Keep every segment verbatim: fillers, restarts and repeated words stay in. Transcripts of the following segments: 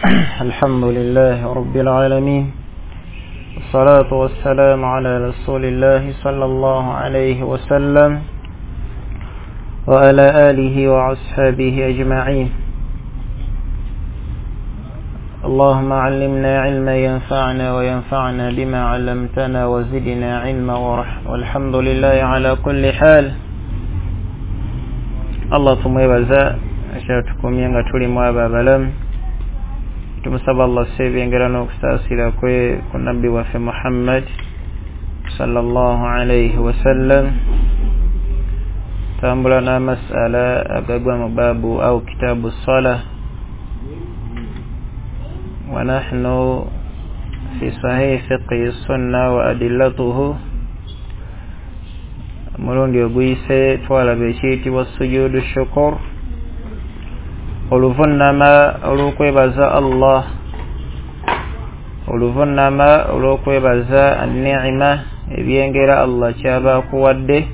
الحمد لله رب العالمين والصلاة والسلام على رسول الله صلى الله عليه وسلم وعلى آله وأصحابه أجمعين. اللهم علمنا علما ينفعنا وينفعنا بما علمتنا وزدنا علما والحمد لله على كل حال. Allah tumwebaza akyatukumye nga tuli mu abo abalamu. Tumusaba Allah sebyengera n'okusaasira kwe ku nabbi waffe Muhammad sallallahu alayhi wasallam. Tambula n'amasala agagwa mu baabu au kitabu sala wa nahnu fi sahih fiqhi sunna wa adillatuhu. Omulundi oguyise twalaba ekiyitibwa sujudu shukur, oluvunnama olw'okwebaza Allah, oluvunnama olw'okwebaza ni'ima, ebyengera Allah kyaba akuwadde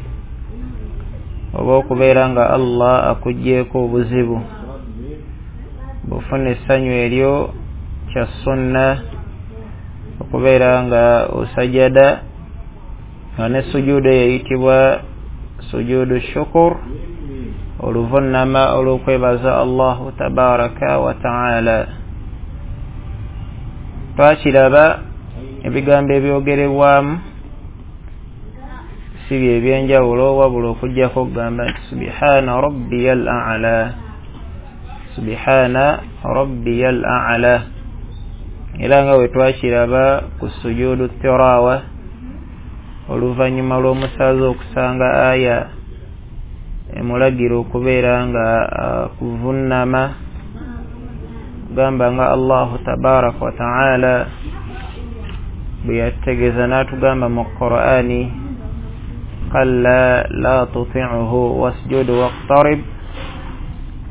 oba okubeera nga Allah akuggyeeko obuzibu. Bw'ofuna essanyu eryo kya sunna okubeera nga osajada, nga ne sujudu eyitibwa sujudu shukur, oluvunnama olw'okwebaza Allahu tabaraka wa taala. Twakiraba ebigambo ebyogerebwamu si bye ebyenjawulo, wabula okuggyako okugamba nti subhana rabbiyal a'la, subhana rabbiyal a'la. Era nga bwe twakiraba ku sujudu tirawa, oluvannyuma lw'omusaaza okusanga aya emulagira okubeera nga kuvunnama, gamba nga Allahu tabaraka wa taala bwe yategeeza n'atugamba mu Qur'ani, kalla la tuti'uhu wasjud waqtarib,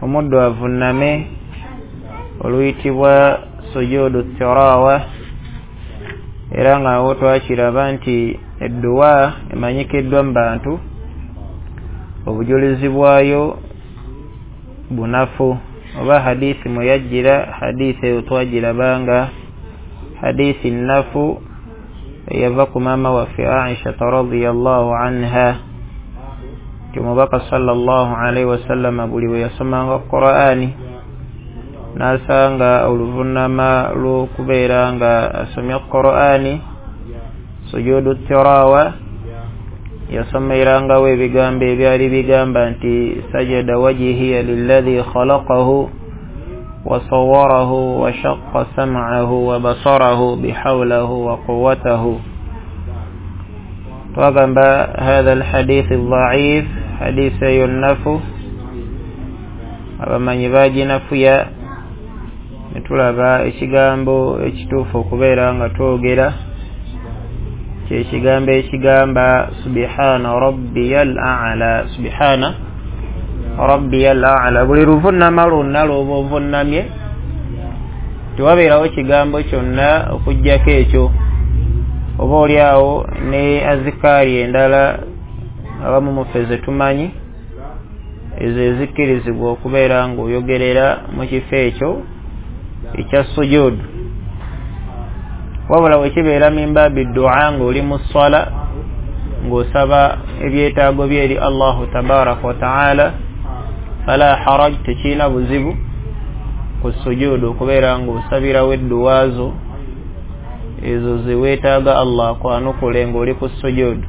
omuddu avunname oluyitibwa sujudu tirawa. Era nga awo twakiraba nti edduwa emanyikiddwa mu bantu, obujulizi bwayo bunafu, oba hadithi mweyajjira hadithi eyo twagirabanga hadithi nnafu eyava ku maama waffe Aisha radhiyallahu anha, nti omubaka sallallahu alaihi wasallama buli we yasomanga Qur'ani n'asanga oluvunnama lw'okubeera nga asomye Qur'ani sujudu tirawa, yasomerangawo ebigambo ebyali bigamba nti sajada wajhiya lilladhi khalaqahu wa sawwarahu wa shaqqa sam'ahu wa basarahu bihawlahu wa quwwatahu. Twagamba hadha alhadith aldha'if, hadith eyo nnafu, abamanyi baginafuya. Ne tulaba ekigambo ekituufu okubeera nga twogera kyekigambo ekigamba subhana rabbiyal a'la, subhana rabbiyal a'la. Buli luvunnama lwonna lw'oba ovunnamye tewabeerawo kigambo kyonna okuggyako ekyo, oba oli awo ne azikaari endala abamu muffe ze tumanyi ezo ezikkirizibwa okubeera ng'oyogerera mu kifo ekyo ekya sujudu. Wabula wekibeera min baabi ddu'a ng'oli mu sswala ng'osaba ebyetaago bye eri Allahu tabaraka wa taala, fala haraj, tekirina buzibu ku sujudu okubeera ng'osabirawo edduwa zo ezo ze weetaaga Allah akwanukule ng'oli ku sujudu.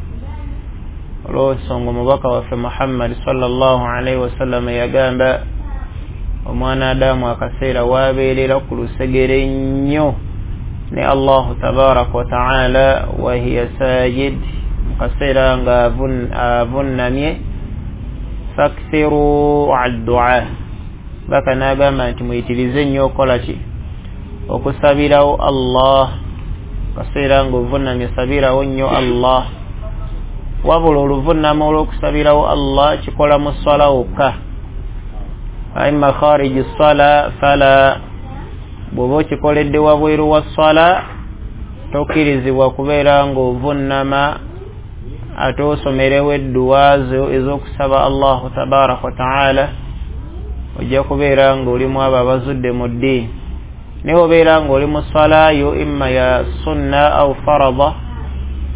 Olw'ensonga omubaka waffe Muhammad sallallahu alaihi wasallam yagamba omwana Adamu akaseera waabeerera ku lusegere nnyo ne Allahu tabaraka wa taala wa hiya sajid, mu kaseera nga avunnamye, fakthiru addua, baka n'agamba nti muyitirize nnyo okukola ki, okusabirawo Allah. Kaseera ng'ovunnamye sabirawo nnyo Allah. Wabula oluvunnama olw'okusabirawo Allah kikola mu sswala wokka, imma khariji ssala fala, bw'oba okikoledde wabweru wa sswala tokkirizibwa kubeera ng'ovunnama ate osomerewo edduwa zo ez'okusaba Allahu tabaraka wa taala, ojja kubeera ng'olimu abo abazudde mu ddiini. Naye obeera ng'oli mu swala yo imma ya sunna au farada,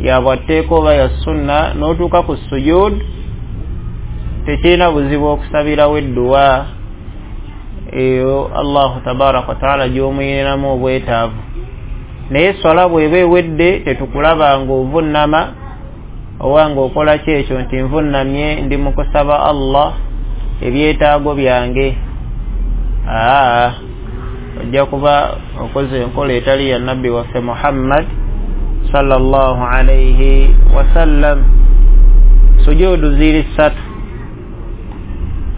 ya bwatteeka oba ya sunna, n'otuuka ku sujud, tekirina buzibu okusabirawo edduwa eyo Allahu tabaraka wataala gy'omuyiniramu obwetaavu. Naye swala bw'eba ewedde tetukulaba ng'ovunnama oba ng'okola ki ekyo nti nvunnamye ndi mu kusaba Allah ebyetaago byange. Aa, ojja kuba okoze enkola etali ya nabbi waffe Muhammad sallallahu alayhi wasallam. Sujudu ziri ssatu,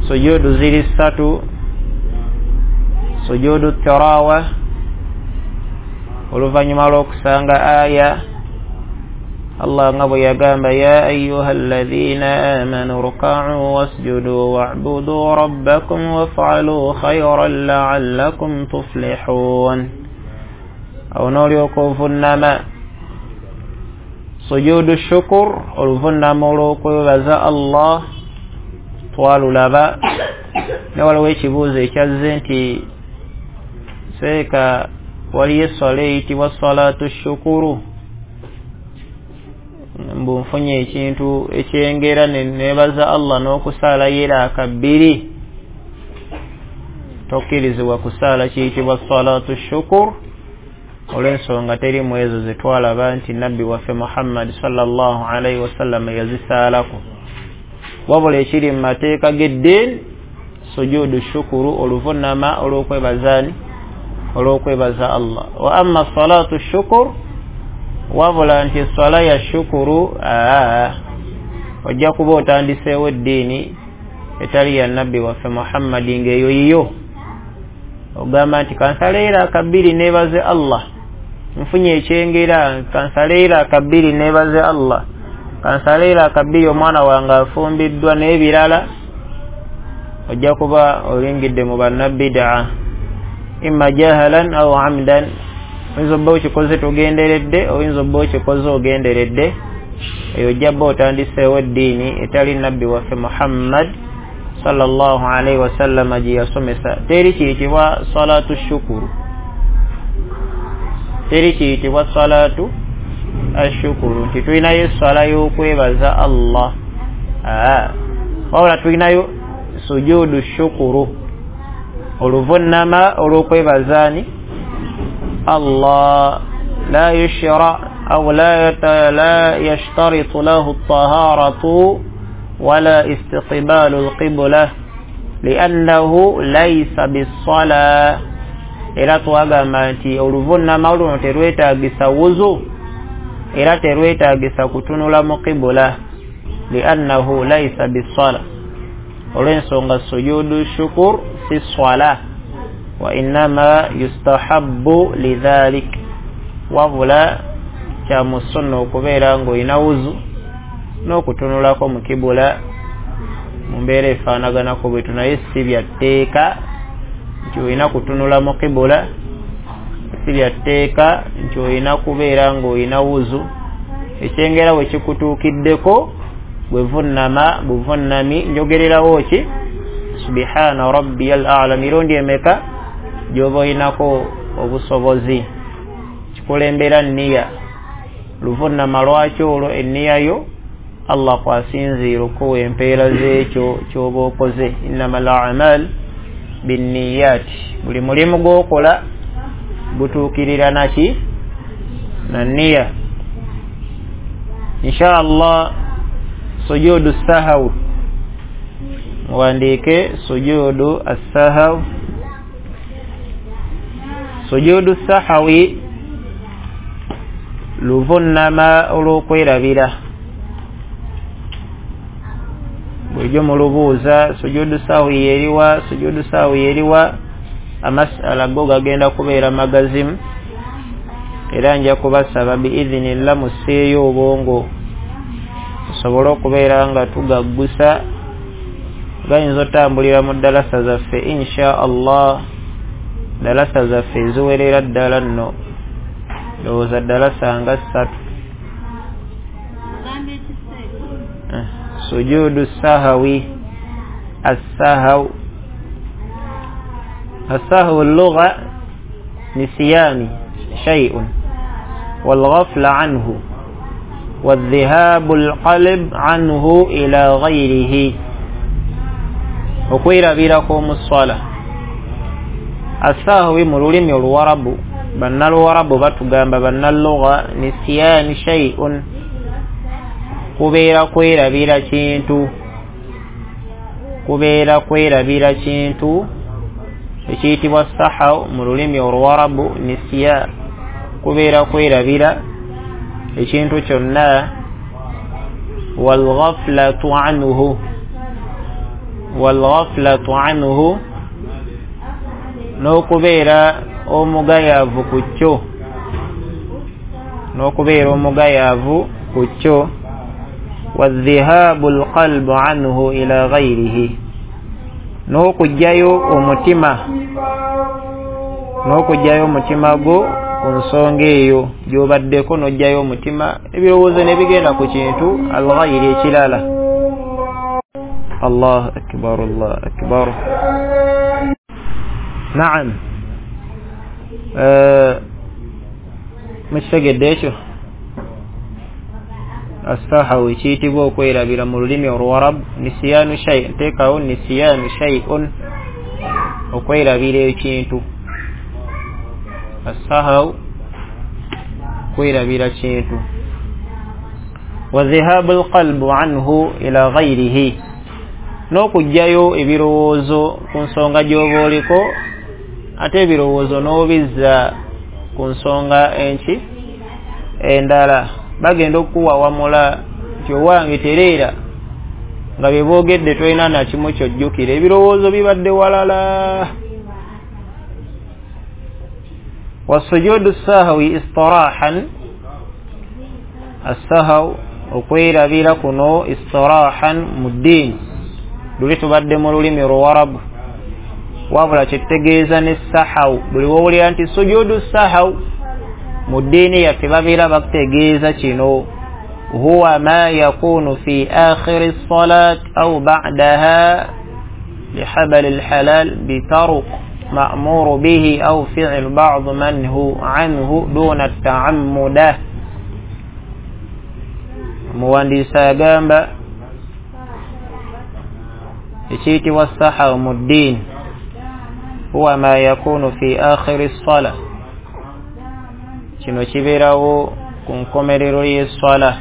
sujudu ziri ssatu. Sujudu tirawa, oluvannyuma lw'okusanga aya Allah nga bwe yagamba ya ayyuha alladhina amanu ruka'u wasjudu wa'budu rabbakum waf'alu khayran la'allakum tuflihun. Awo n'olyoka ovunnama. Sujudu shukur, oluvunnama olw'okwebaza Allah, twalulaba. Ne waliwo ekibuuzo ekyazze nti seeka waliyo esswala eyitibwa salatu shukuru, mbu nfunye ekintu ekyengera ne neebaza Allah n'okusaala yeraaka bbiri. Tokkirizibwa kusaala kiyitibwa salatu shukur olw'ensonga teri mu ezo ze twalaba nti nabbi waffe Muhammad sallallahu alaihi wasallam yazisaalako. Wabula ekiri mu mateeka g'eddiini sujudu shukuru, oluvunnama olw'okwebazaani olw'okwebaza Allah. Wa amma salatu shukur, wabula nti swala ya shukuru, aa, ojja kuba otandiseewo eddiini etali ya nabbi waffe Muhammadi ng'eyo yiyo. Ogamba nti kansaleera akabbiri neebaze Allah, nfunye ekyengera, kansaleera akabbiri neebaze Allah, kansaleera akabbiri omwana wange afumbiddwa n'ebirala, ojja kuba oyingidde mu bannabidaa imma jahalan aw amdan. Oyinza obba okikoze togenderedde, oyinza obba okikoze ogenderedde, eyo ojja bba otandiseewo eddiini etali nabbi waffe Muhammad sallallahu alaihi wasallam gye yasomesa. Teri kiyitibwa salatu shukuru, teri kiyitibwa salatu ashukuru nti tulinayo esswala y'okwebaza Allah, aa, wabula tulinayo sujudu shukuru, oluvunnama olw'okwebazaani Allah. La yushra aw la la yashtaritu lahu at-taharatu wala istiqbalu al-qibla li'annahu laysa bis-sala. Era twagamba nti oluvunnama luno terwetaagisa wuzu, era terwetaagisa kutunula mu qibla, li'annahu laysa bis-sala, olw'ensonga sujudu shukur si swala, wa innama yustahabbu lidhalik, wabula kya mu sunna okubeera ng'olina wuzu n'okutunulako mu kibula mu mbeera efaanaganako bwetu, naye si bya tteeka nti olina kutunula mu kibula, si bya tteeka nti olina kubeera ng'olina wuzu. Ekyengera bwe kikutuukiddeko bwe vunnama buvunnami, njogererawo ki subhana rabbiyal a'la mirundi emeka gy'oba olinako obusobozi. Kikulembera nniya, luvunnama lwakyo olwo enniya yo Allah kwasinziira okuwa empeera z'ekyo ky'oba okoze. Innamal a'mal binniyat, buli mulimu gw'okola gutuukirira naki na nniya. Insha Allah sujudu sahaw, muwandiike sujudu as-sahaw. Sujudu sahawi luvunnama olw'okwerabira. Bulijjo mulubuuza sujudu sahwi yeriwa, sujudu sahwi yeriwa, amasala go gagenda kubeera magazimu, era nja kubasaba biidhinillah musseeyo obwongo tusobole okubeera nga tugaggusa. Gayinza otambulira mu ddalasa zaffe insha Allah, ddalasa zaffe eziwerera ddala nno, ndowooza ddalasa nga ssatu. Sujudu sahawi, as-sahaw, as-sahwu lugha Nisiyani shay'un walghafla anhu wadhihabu alqalb anhu ila ghayrihi, okwerabirako mu swala. Asahwi mu lulimi oluwarabu, bannaluwarabu batugamba bannalugha, nisiyani shay'un kubeera kwerabira kintu, kubeera kwerabira kintu ekiyitibwa sahaw mu lulimi oluwarabu. Nisiya kubeera kwerabira ekintu kyonna. Walghaflatu anhu, walghaflatu anhu n'okubeera omugayaavu ku kyo, n'okubeera omugayaavu ku kyo. Wadhihabu alqalbu anhu ila ghayrihi, n'okugyayo omutima, n'okugyayo omutima gwo ku nsonga eyo gy'obaddeko, n'oggyayo omutima ebirowoozo ne bigenda ku kintu alghayri ekirala. Allahu akbar, Allahu akbar. Naam, mukitegedde ekyo? Assahawi kiyitibwa okwerabira mu lulimi oluwarabu. Nisiyanu shay, nteekawo nisiyanu shay'un, okwerabira ekintu. Assahaw kwerabira kintu. Wa dhihabu alqalbu anhu ila ghayrihi, n'okugyayo ebirowoozo ku nsonga gy'oba oliko, ate ebirowoozo n'obizza ku nsonga enki endala. Bagenda okuwawamula nti owange tereera, nga bye boogedde tolina na kimu ky'ojjukira, ebirowoozo bibadde walala. Wasujudu sahwi istirahan, assahaw okwerabira kuno istirahan mu ddiini, luli tubadde mu lulimi luwarabu, wabula kyetutegeeza ne sahaw. Buli wowulira nti sujudu sahaw mu ddiini yaffe babeera bakutegeeza kino, huwa ma yakunu fi akhiri salat au ba'daha lihabali lhalal bitaruk ma'muru bihi au fi'l ba'd man hu anhu duna ta'ammuda. Omuwandiisi agamba ekiyitibwa sahaw mu ddiini huwa ma yakunu fi akhiri sala, kino kibeerawo ku nkomerero y'esswala.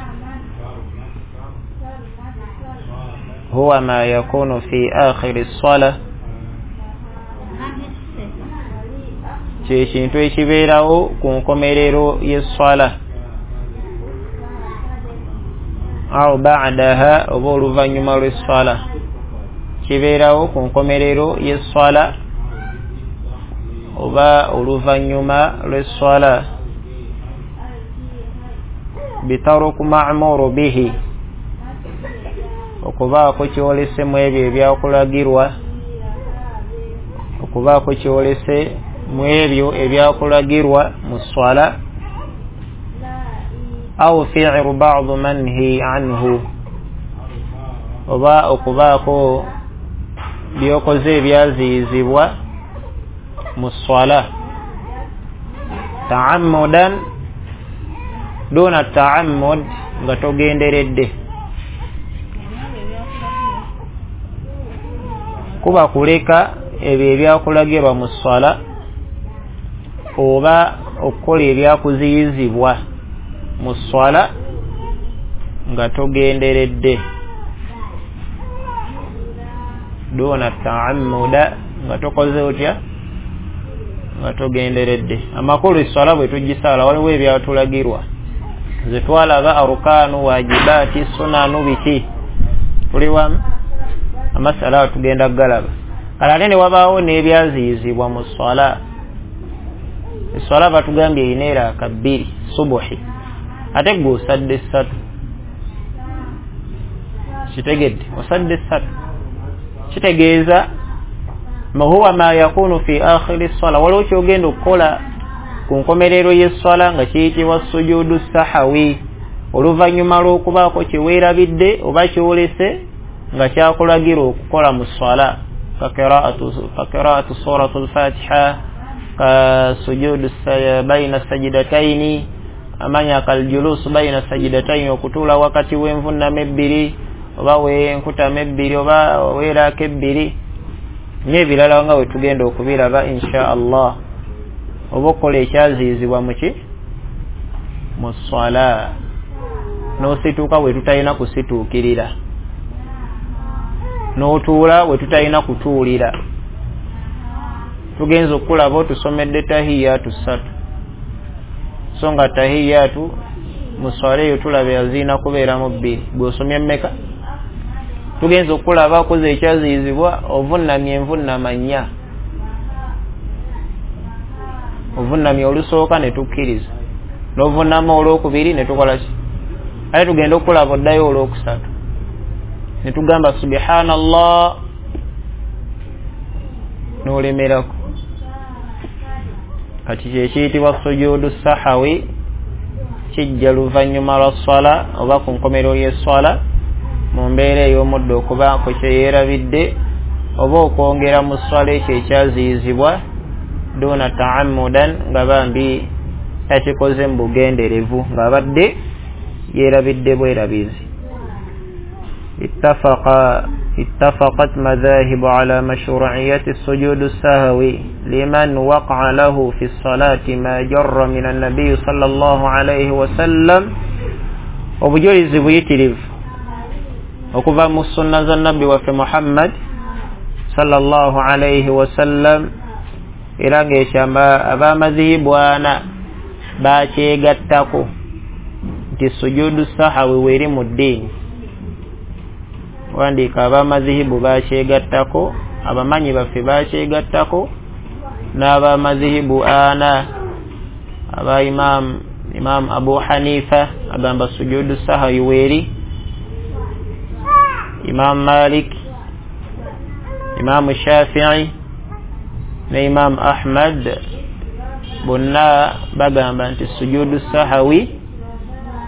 Huwa ma yakunu fi akhiri sala, kye kintu ekibeerawo ku nkomerero y'esswala, au ba'daha oba oluvannyuma lw'esswala. Kibeerawo ku nkomerero y'esswala oba oluvannyuma lw'esswala. Bitaruku ma'muru bihi, okubaako kyolese mu ebyo ebyakulagirwa, okubaako kyolese mu ebyo ebyakulagirwa mu swala. Au fi'lu ba'd manhi anhu, oba okubaako byokoze ebyaziyizibwa mu swala. Ta'ammudan duna ta'ammud, nga togenderedde, kuba kuleka ebyo ebyakulagirwa mu swala oba okukola ebyakuziyizibwa mu swala nga togenderedde. Duna ta'ammuda, nga tokoze otya, nga togenderedde. Amakulu eswala bwe tugisaala waliwo ebyatulagirwa, ze twalaba arukanu, wajibaati, sunanu, biki, tuli wamu amasala tugenda galaba. Kale ate ne wabaawo n'ebyaziyizibwa mu swala. Eswala batugambye erina eraaka bbiri subuhi, ate gwe osadde essatu. Kitegedde? Osadde essatu, kitegeeza huwa ma yakunu fi akhiri swala, waliwo kyogenda okukola ku nkomerero y'esswala nga kiyitibwa sujudu sahawi, oluvannyuma lw'okubaako kye weerabidde oba kyolese nga kyakulagira okukola mu swala, ka qira'atu suratu al-Fatiha, Ka sujudu baina sajidataini, amanya kaljulusu baina sajidataini, okutuula wakati w'envunnama ebbiri oba w'enkutama ebbiri oba weeraako ebbiri n'ebirala nga we tugenda okubiraba insha Allah. Oba okukola ekyaziyizibwa muki mu swala, n'osituuka we tutalina kusituukirira, n'otuula we tutalina kutuulira. Tugenza okulaba otusomedde tahiyatu ssatu, so nga tahiyatu mu swala eyo tulaba yazirina kubeeramu bbiri, gw'osomye mmeka? Tugenza okulaba okoze ekyaziyizibwa, ovunnamye envunnama nnya, ovunnamye olusooka ne tukkiriza, n'ovunnama olwokubiri ne tukola ki? Ate tugenda okulaba oddayo olwokusatu ne tugamba subhanallah n'olemerako. Kati kyekiyitibwa sujudu sahawi, kijja luvannyuma lwa swala oba ku nkomerero y'esswala mu mbeera ey'omuddo okubaako kye yeerabidde oba okwongera mu swala ekyo ekyaziyizibwa duna ta'ammudan, nga bambi takikoze mu bugenderevu, ng'abadde yeerabidde bwerabizi. Ittafaqa اتفقت مذاهب على مشروعية السجود السهوي لمن وقع له في الصلاة ما جر من النبي صلى الله عليه وسلم. Obujulizi buyitirivu okuva mu sunna za nabbi waffe Muhammad sallallahu alayhi wasallam, era ng'ekyamba ab'amazihibu ana bakyegattako nti sujudu sahawi weeri mu ddiini. Wandiika ab'amazihibu bakyegattako, abamanyi baffe bakyegattako, n'ab'amazihibu ana aba imam imam Abu Hanifa agamba sujudu sahawi weeri, Imam Malik, Imam Shafi'i ne Imam Ahmad bonna bagamba nti sujudu sahawi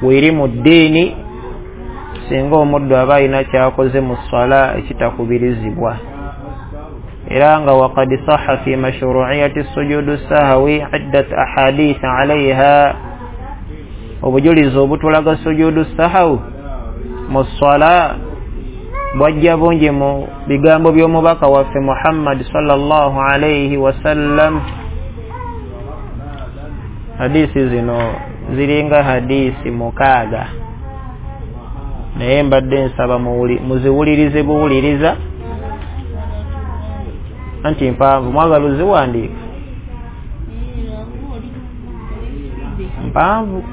weeri mu ddiini singa omuddu aba alina kyakoze mu swala ekitakubirizibwa. Era nga waqad sahha fi mashru'iyati sujudu sahawi iddat ahadith alayha, obujulizi obutulaga sujudu sahawi mu swala bwajja bungi mu bigambo by'omubaka waffe Muhammad sallallahu alayhi wasallam. Hadisi zino ziringa hadisi mukaaga, naye mbadde nsaba muziwulirize buwuliriza anti mpanvu. Mwagala oziwandiika? Mpanvu,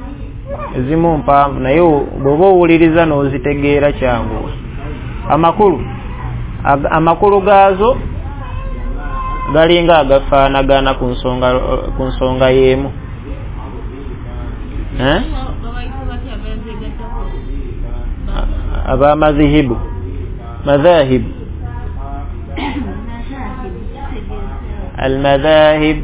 ezimu mpanvu, naye bw'oba owuliriza n'ozitegeera kyanguwa. Amakulu amakulu gaazo galinga agafaanagana ku nsonga ku nsonga y'emu. Eh? Ab'amazihibu madhahib almadhahib,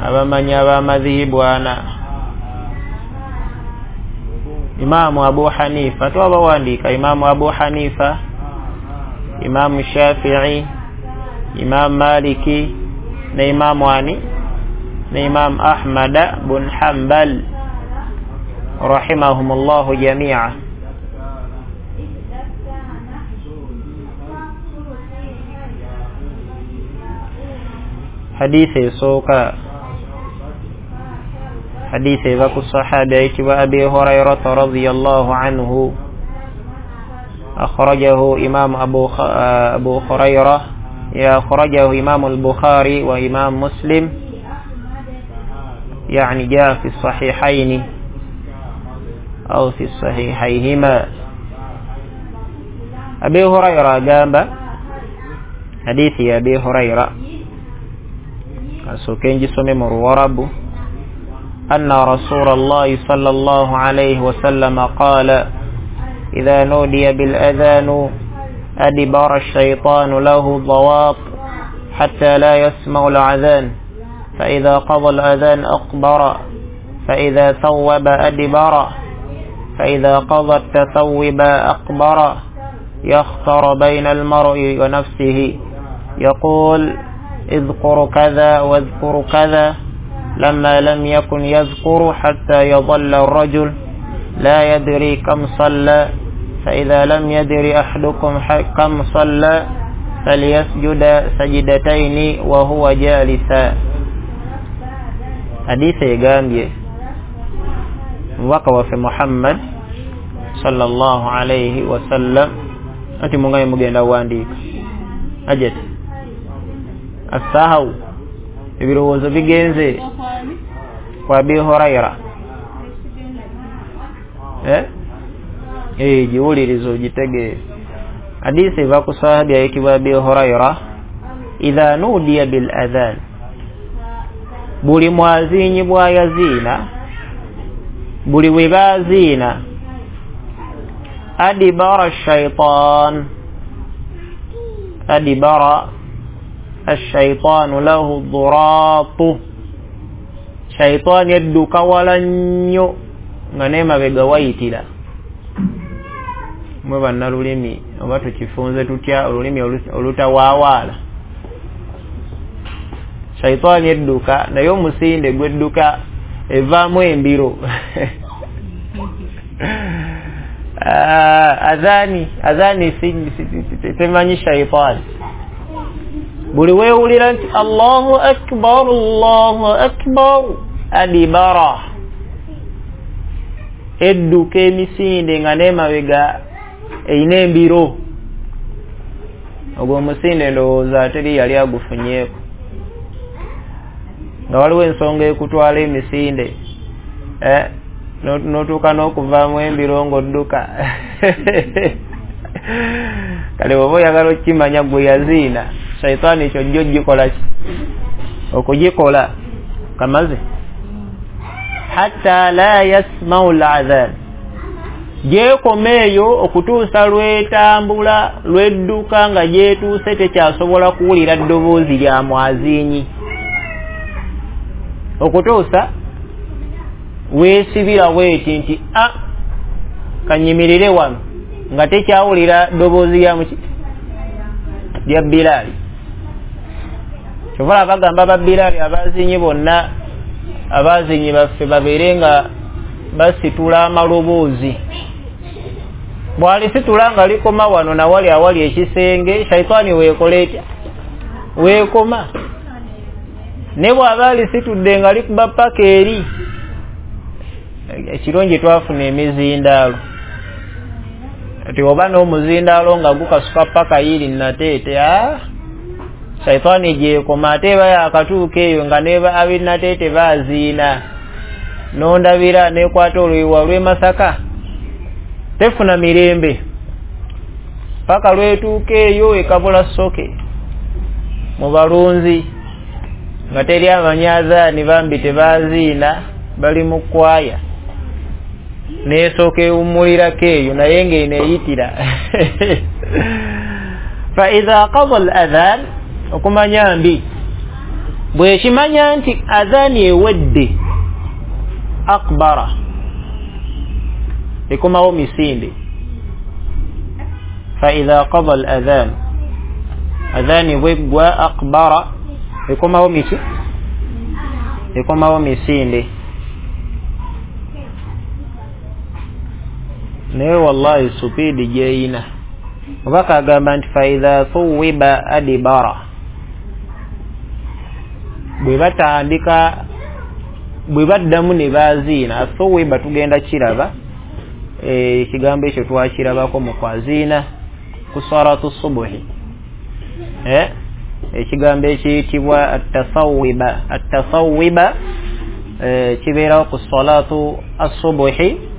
abamanyi ab'amazihibu ana. Imamu Abu Hanifa twabawandiika, Imamu Abu Hanifa, Imamu Shafi'i, Imamu Maliki ne Imamu ani ne Imamu Ahmad bun Hanbal rahimahumullahu jami'a. Hadithi esooka, hadithi eva ku sahaba ayitibwa Abi Hurairata radhiyallahu anhu, akhrajahu Imam Abu Abu Hurairah, ya akhrajahu Imam al-Bukhari wa Imam Muslim, yani jaa fi sahihaini au fi sahihayhima. Abi Hurairah agamba, hadithi ya Abi Hurairah asooke ngisome mu Luwarabu, anna Rasulallahi sallallahu alayhi wasallam qala idha nudiya bil adhanu adbara ash-shaytanu lahu dawat hatta la yasma'u al-adhan fa idha qada al-adhan aqbara fa idha thawwaba adbara fa idha qada at-tathawwuba aqbara yakhtar bayna al-mar'i wa nafsihi يقول اذكر كذا واذكر كذا، لما لم يكن يذكر حتى يظل الرجل لا يدري كم صلى، فإذا لم يدري أحدكم كم صلى فليسجد سجدتين وهو جالسا. Hadithi egambye mubaka waffe Muhammad sallallahu alayhi wasallam ati mungaye mugenda wandiika ajati asahau ebirowoozo bigenze kwa Abi Huraira eh eh jiwulirizo jitegeere. Hadithi eva ku sahabi ayitibwa Abi Huraira, idha nudiya bil adhan, buli mwazinyi bwayaziina, buli we baziina, adibara shaitan, adibara ashaitanu lahu dhuratu, shaitani yadduka wala nnyo nga n'emabega wayitira. Mwe bannalulimi oba tukifunze tutya olulimi olutawaawaala? Shaitani edduka naye omusinde gwedduka evaamu embiro. Adhani adhani temanyi shaitani. Buli weewulira nti Allahu akbar Allahu akbar, adibara, edduka emisinde nga n'emabega eyina embiro. Ogwo omusinde ndowooza teri yali agufunyeeko, nga waliwo ensonga ekutwala emisinde eh, n'otuuka n'okuvaamu embiro ng'odduka. Kale bw'oba oyagala okukimanya gwe yaziina shaitaani kyojja ogikola ki okugikola kamaze hatta la yasmau al-adhan, gyekoma eyo okutuusa lwetambula lwedduka nga gyetuuse tekyasobola kuwulira ddoboozi lya mwazinyi, okutuusa weesibira bweti nti a kanyimirire wano nga tekyawulira ddoboozi lya muki lya Bilaali. Kyova bagamba ba Bilaali abazinyi bonna abazinyi baffe babeere nga basitula amaloboozi. Bw'alisitula nga likoma wano nawali awali ekisenge, shaitaani weekola etya? Weekoma. Ne bw'aba alisitudde nga likuba paka eri, ekirungi twafuna emizindaalo ati oba n'omuzindaalo nga gukasuka paka yiri Nateete, ah shaitaani gyekoma. Ate eba yakatuuka eyo nga ne ab'i Nateete baaziina, nondabira nekwata oluyiwa lw'e Masaka, tefuna mirembe paka lwetuuka eyo ekabula soke mu balunzi nga teri amanyazaani bambi tebaziina, bali mu kwaya nesooka ewummulirako eyo naye ng'eno eyitira. Fa idha qada al adhan, okumanya mbi bwekimanya nti adhaani ewedde, akbara, ekomawo misinde. Fa idha qada al adhan, adhaani bweggwa, akbara, ekomawo miki ekomawo misinde. Naye wallahi supiidi gyeyina. Omubaka agamba nti fa idha thuwiba adibara, bwe batandika bwe baddamu ne baziina. Thuwiba tugenda kiraba, ekigambo ekyo twakirabako mu kwaziina ku salatu subuhi, eh ekigambo ekiyitibwa at-tasawwiba. At-tasawwiba kibeerawo ku salatu as-subuhi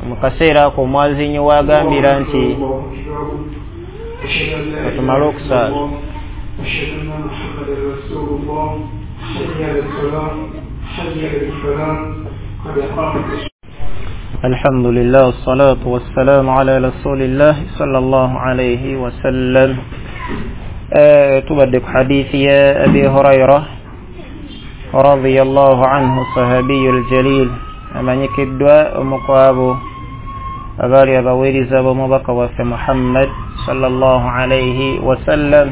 mu kaseera ako omwazinyi wagambira nti tumale okusaala. Alhamdulillah wassalatu wassalamu ala rasulillah sallallahu alayhi wasallam. Tubadde ku hadithi ya Abi Huraira radiyallahu anhu, sahabiyul jalil, amanyikiddwa omu ku abo Abaali abaweereza b'omubaka waffe Muhammad sallallahu alayhi wasallam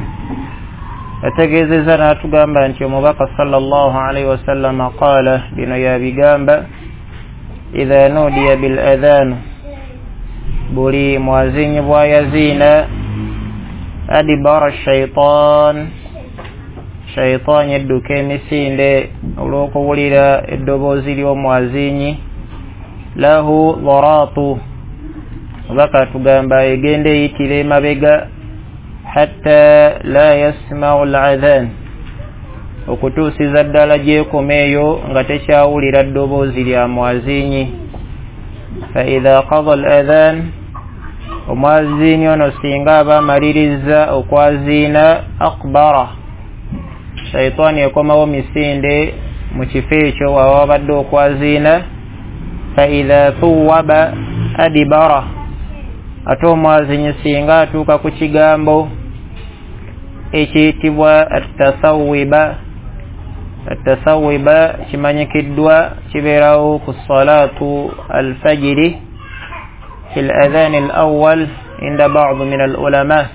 yategeezezza n'atugamba nti omubaka sallallahu alayhi wasallam qaala, bino yabigamba, idha nudiya bil adhan, buli mwazinyi bw'ayaziina, adibara shaitan, shaitaani edduka emisinde olw'okuwulira eddoboozi ly'omwazinyi, lahu dharatu, omubaka atugamba egenda eyitira emabega, hatta la yasma'u al-adhan, okutuusiza ddala gy'ekoma eyo nga tekyawulira ddoboozi lya mwazinyi. Fa idha qada al-adhan, omwazinyi ono singa aba amalirizza okwaziina, akbara, shaitaani ekomawo misinde mu kifo ekyo waba wabadde okwaziina. Fa idha thuwaba adibara, ate omwazinyi singa atuuka ku kigambo ekiyitibwa attasawiba, attasawiba kimanyikiddwa kibeerawo ku salatu alfajiri fi al-adhan al-awwal inda ba'd min al-ulama,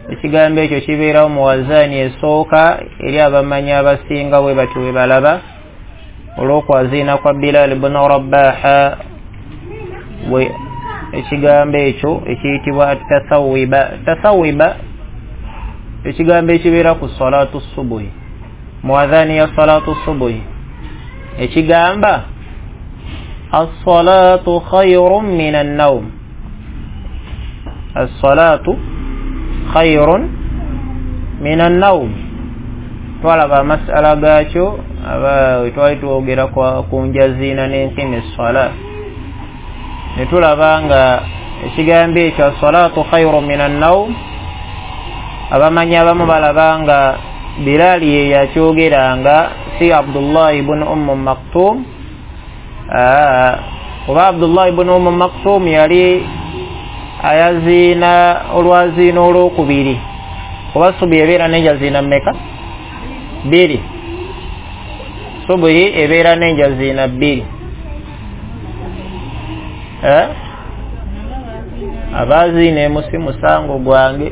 ekigambo ekyo kibeerawo mu wazaani esooka eri abamanyi abasinga bwe batyo bwe balaba olw'okwaziina kwa Bilal ibn Rabaha, bwe ekigambo ekyo ekiyitibwa attasawiba. Tasawiba ekigambo ekibeera ku salatu subuhi, mu adhaani ya salatu subuhi, ekigamba as-salatu khayrun min an-nawm, as-salatu khayrun min an-nawm. Twalaba amasala gaakyo aba twali twogera ku njaziina n'enkima esswala, ne tulaba nga ekigambo ekyo as-salatu khayrun min an-nawm, abamanyi abamu balaba nga Bilal ye yakyogeranga, si Abdullah ibn Umm Maktum. Oba Abdullah ibn Umm Maktum yali ayaziina olwaziina olwokubiri, oba subuhi ebeera n'enjaziina mmeka? Bbiri. Subuhi ebeera n'enjaziina bbiri. Eh? Abaziina emu si musango gwange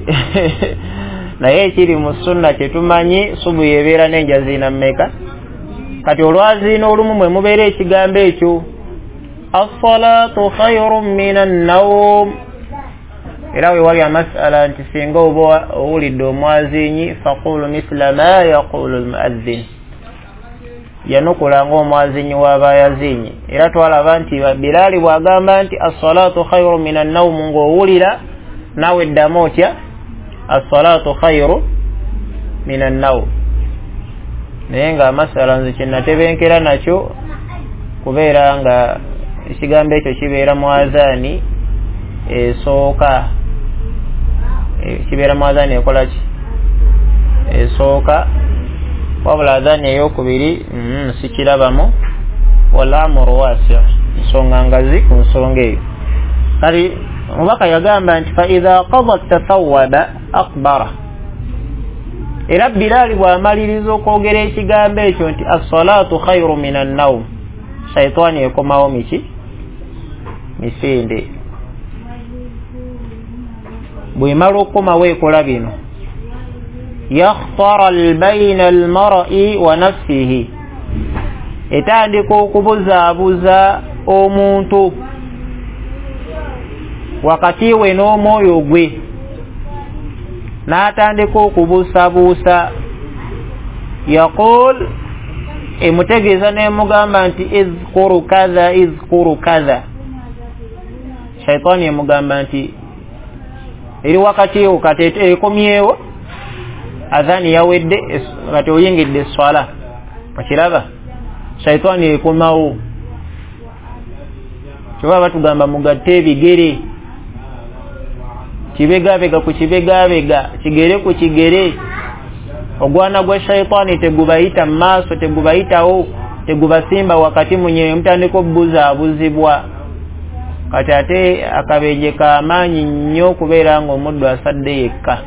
naye ekiri mu sunna kyetumanyi subuhi ebeera n'enjaziina mmeka? Kati olwaziina olumu mwe mubeera ekigambo ekyo as-salatu khayrun min an-nawm. Era we wali amasala nti singa oba owulidde omwazinyi faqulu mithla ma yaqulu al-muadhdhin, yanukula ng'omwazinyi w'aba yazinyi. Era twalaba nti Bilali bw'agamba nti as-salatu khayrun min an-nawm, ng'owulira naawe eddamu otya as-salatu khayru min an-nawm. Naye nga amasala nze kye natebenkera nakyo kubeera nga ekigambo ekyo kibeera mu azaani esooka, kibeera mu azaani ekola ki? Esooka. Wabula azaani eyokubiri mm, sikirabamu, wal-amru wasi', nsonga ngazi ku nsonga eyo. Kati omubaka yagamba nti fa idha qada tathawwaba akbara, era Bilali bw'amaliriza okwogera ekigambo ekyo nti as-salatu khayru min an-nawm, shaitaani ekomawo miki? Misinde. Bw'emala okukomawo ekola bino, yakhtara bayna al-mar'i wa nafsihi, etandika okubuzaabuza omuntu wakati we n'omwoyo gwe, n'atandika okubuusabuusa. Yaqul, emutegeeza n'emugamba nti izkuru kadha izkuru kadha, shaitaani emugamba nti eri wakati wo kati ekomyewo, adhani yawedde, kati oyingidde esswala. Okiraba, shaitaani ekomawo. Kyova batugamba mugatte ebigere, kibegabega ku kibegabega, kigere ku kigere. Ogwana gwa shaitaani tegubayita mu maaso, tegubayitawo, tegubasimba wakati munyewe, mutandika obuzaabuzibwa. Kati ate akabenje k'amaanyi nnyo okubeera ng'omuddu asadde yekka,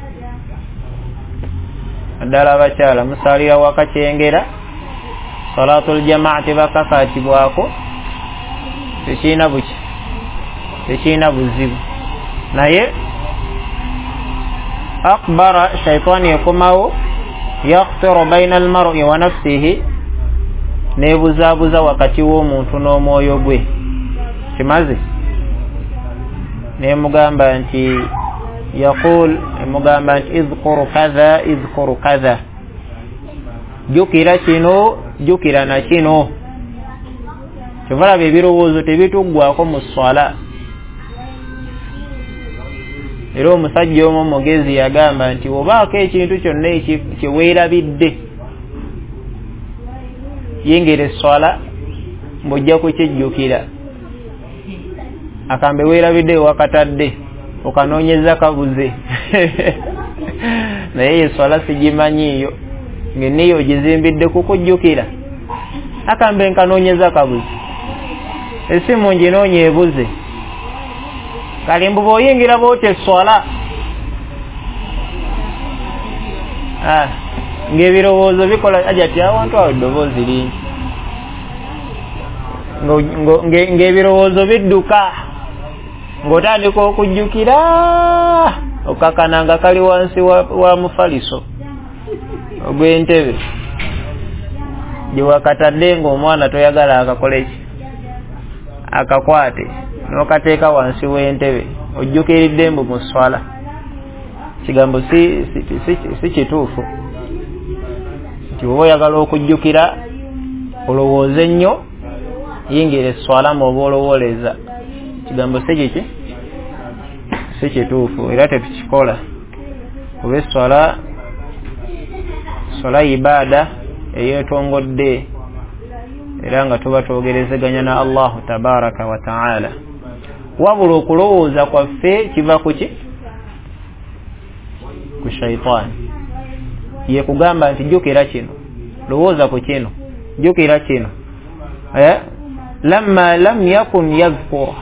naddala abakyala musaalira waka kyengera, salatul jamaa tebakakaatibwako, tekirina buki, Tekirina buzibu. Naye akbara shaitaani ekomawo yakhtiru baina almar'i wa nafsihi, nebuzaabuza wakati w'omuntu n'omwoyo gwe. Kimaze nemugamba nti yaqul, emugamba nti idhkuru kadha idhkuru kadha, jjukira kino jjukira na kino. Kyovalaba ebirowoozo tebituggwako mu swala. Era omusajja omu omugezi yagamba nti obaako ekintu kyonna kyeweerabidde yingira esswala ng'ojja kukijjukira. Akambe weerabidde wakatadde okanoonyeza kabuze naye esswala sigimanyiiyo ng'enniyo ogizimbidde kukujjukira. Akambe nkanoonyeza kabuze, essimu nginoonya ebuze. Kale mbu bw'oyingira bw'otyo esswala ah, ng'ebirowoozo bikola ajati awantu awo eddoboozi lingi, ng'ebirowoozo bidduka ng'otandika okujjukira okakana nga kali wansi wa, wa mufaliso ogw'entebe gye wakatadde ng'omwana toyagala akakole ki, akakwate n'okateeka wansi w'entebe ojjukiridde mbu mu swala. Kigambo si, si, si, si kituufu nti oba oyagala okujjukira olowooze nnyo yingira esswala mw'oba olowooleza. Kigambo si kiki, si kituufu era tetukikola. Kuba esswala swala ibaada eyeetongodde era nga tuba twogerezeganya na Allahu tabaraka wa taala. Wabula okulowooza kwaffe kiva ku ki? Ku shaitaani. Ye kugamba nti jjukira kino, lowooza ku kino, jjukira kino. Eh? Lamma lam yakun yadhkur,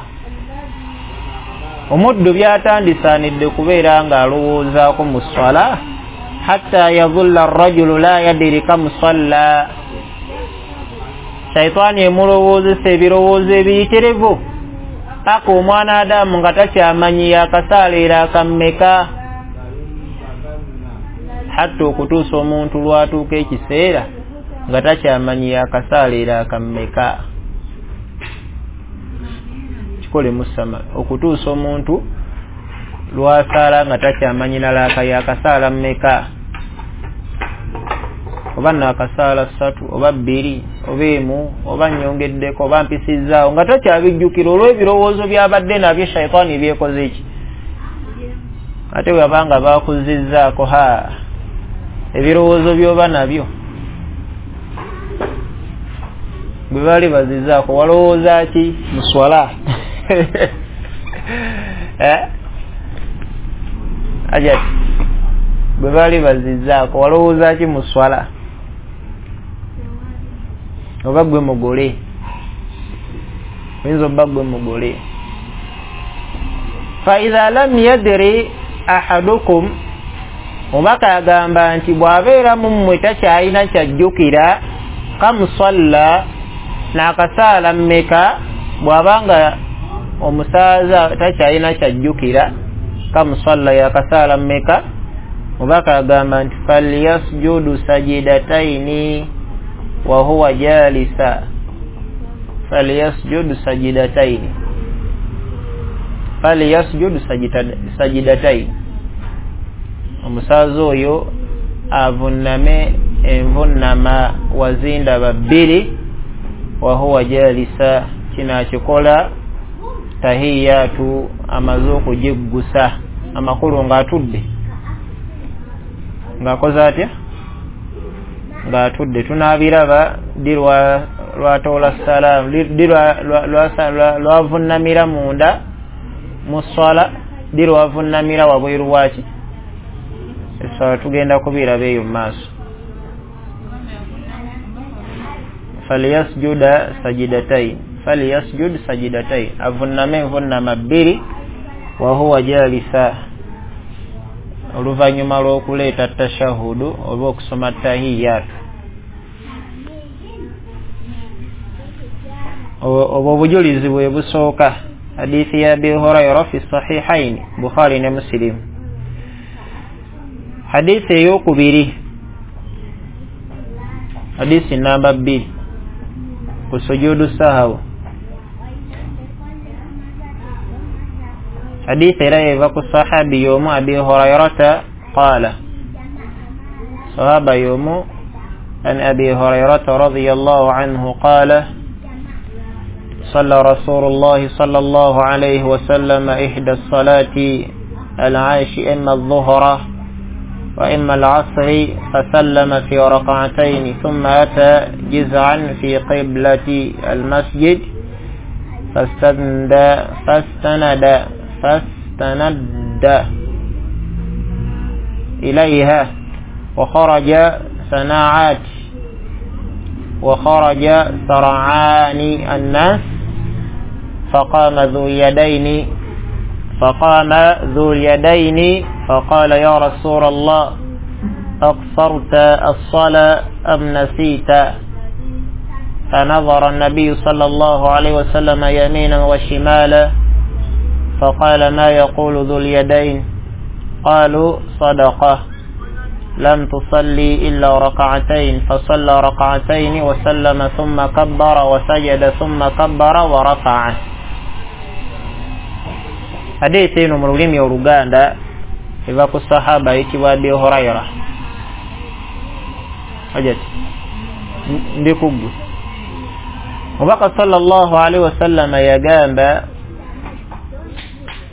omuddu byatandisaanidde kubeera ng'alowoozaako mu swala. Hatta yadhulla arrajulu la yadiri kam salla, shaitaani emulowoozesa ebirowoozo ebiyitirivu paka omwana Adamu nga takyamanyi yakasaala era akammeka, hatta okutuusa omuntu lwatuuka ekiseera nga takyamanyi yakasaala era akammeka. Kikole musama okutuusa omuntu lwasaala nga takyamanyi nalaaka yakasaala mmeka, oba nakasaala ssatu oba bbiri oba emu oba nnyongeddeko oba mpisizzaawo, nga takyabijjukira olw'ebirowoozo byabadde nabyo shaitaani byekoze ki. Ate bwe baba baakuzizzaako ha ebirowoozo by'oba nabyo bwe baali bazizzaako walowooza ki mu swala? Eh? Ajati bwe baali bazizzaako walowooza ki mu swala? Oba gwe mugole, oyinza obba gwe mugole. Fa idha lam yadri ahadukum, omubaka agamba nti bw'abeera mu mmwe takyalina kyajjukira kam salla, n'akasaala mmeka, bw'abanga omusaaza takyalina kyajjukira kam salla yakasaala mmeka, omubaka agamba nti falyasjudu sajidataini wa huwa jalisa, falyasjudu sajidataini, falyasjudu sajidataini, omusaaza oyo avunname envunnama wazindaba bbiri, wa huwa jalisa, kino akikola tahiyatu amaze okugiggusa, amakulu ng'atudde, ng'akoze atya? Ng'atudde. Tunaabiraba ddi lwatoola salaamu, ddi lwavunnamira munda mu swala, ddi lwavunnamira wabweru waki esswala, tugenda kubiraba eyo mu maaso. Falyasjuda sajidatain, falyasjud sajidatain, avunname envunnama bbiri, wa huwa jalisa, oluvannyuma lw'okuleeta tashahudu oba okusoma tahiyatu. Obwo obujulizi bwe busooka. Hadithi ya Abi Huraira fi sahihaini, Bukhari ne Muslim. Hadithi eyokubiri, hadithi namba bbiri ku sujudu sahawu. Hadithi era eva ku sahabi y'omu Abi Hurairata qala, sahaba y'omu an Abi Hurairata radiyallahu anhu qala صلى رسول الله صلى الله عليه وسلم إحدى الصلاة العاش إما الظهر وإما العصر فسلم في ركعتين ثم أتى جزعا في قبلة المسجد فاستند فاستند فاستند إليها وخرج سناعات وخرج سرعان الناس فقام ذو اليدين فقام ذو اليدين فقال يا رسول الله أقصرت الصلاة أم نسيت؟ فنظر النبي صلى الله عليه وسلم يمينا وشمالا فقال ما يقول ذو اليدين؟ قالوا صدقة لم تصلي إلا ركعتين، فصلى ركعتين وسلم ثم كبر وسجد ثم كبر ورفع. Hadithi eno mu lulimi Oluganda eva ku sahaba ayitibwa Abi Huraira. Hajati ndi kuggwe. Mubaka sallallahu alaihi wasallam yagamba,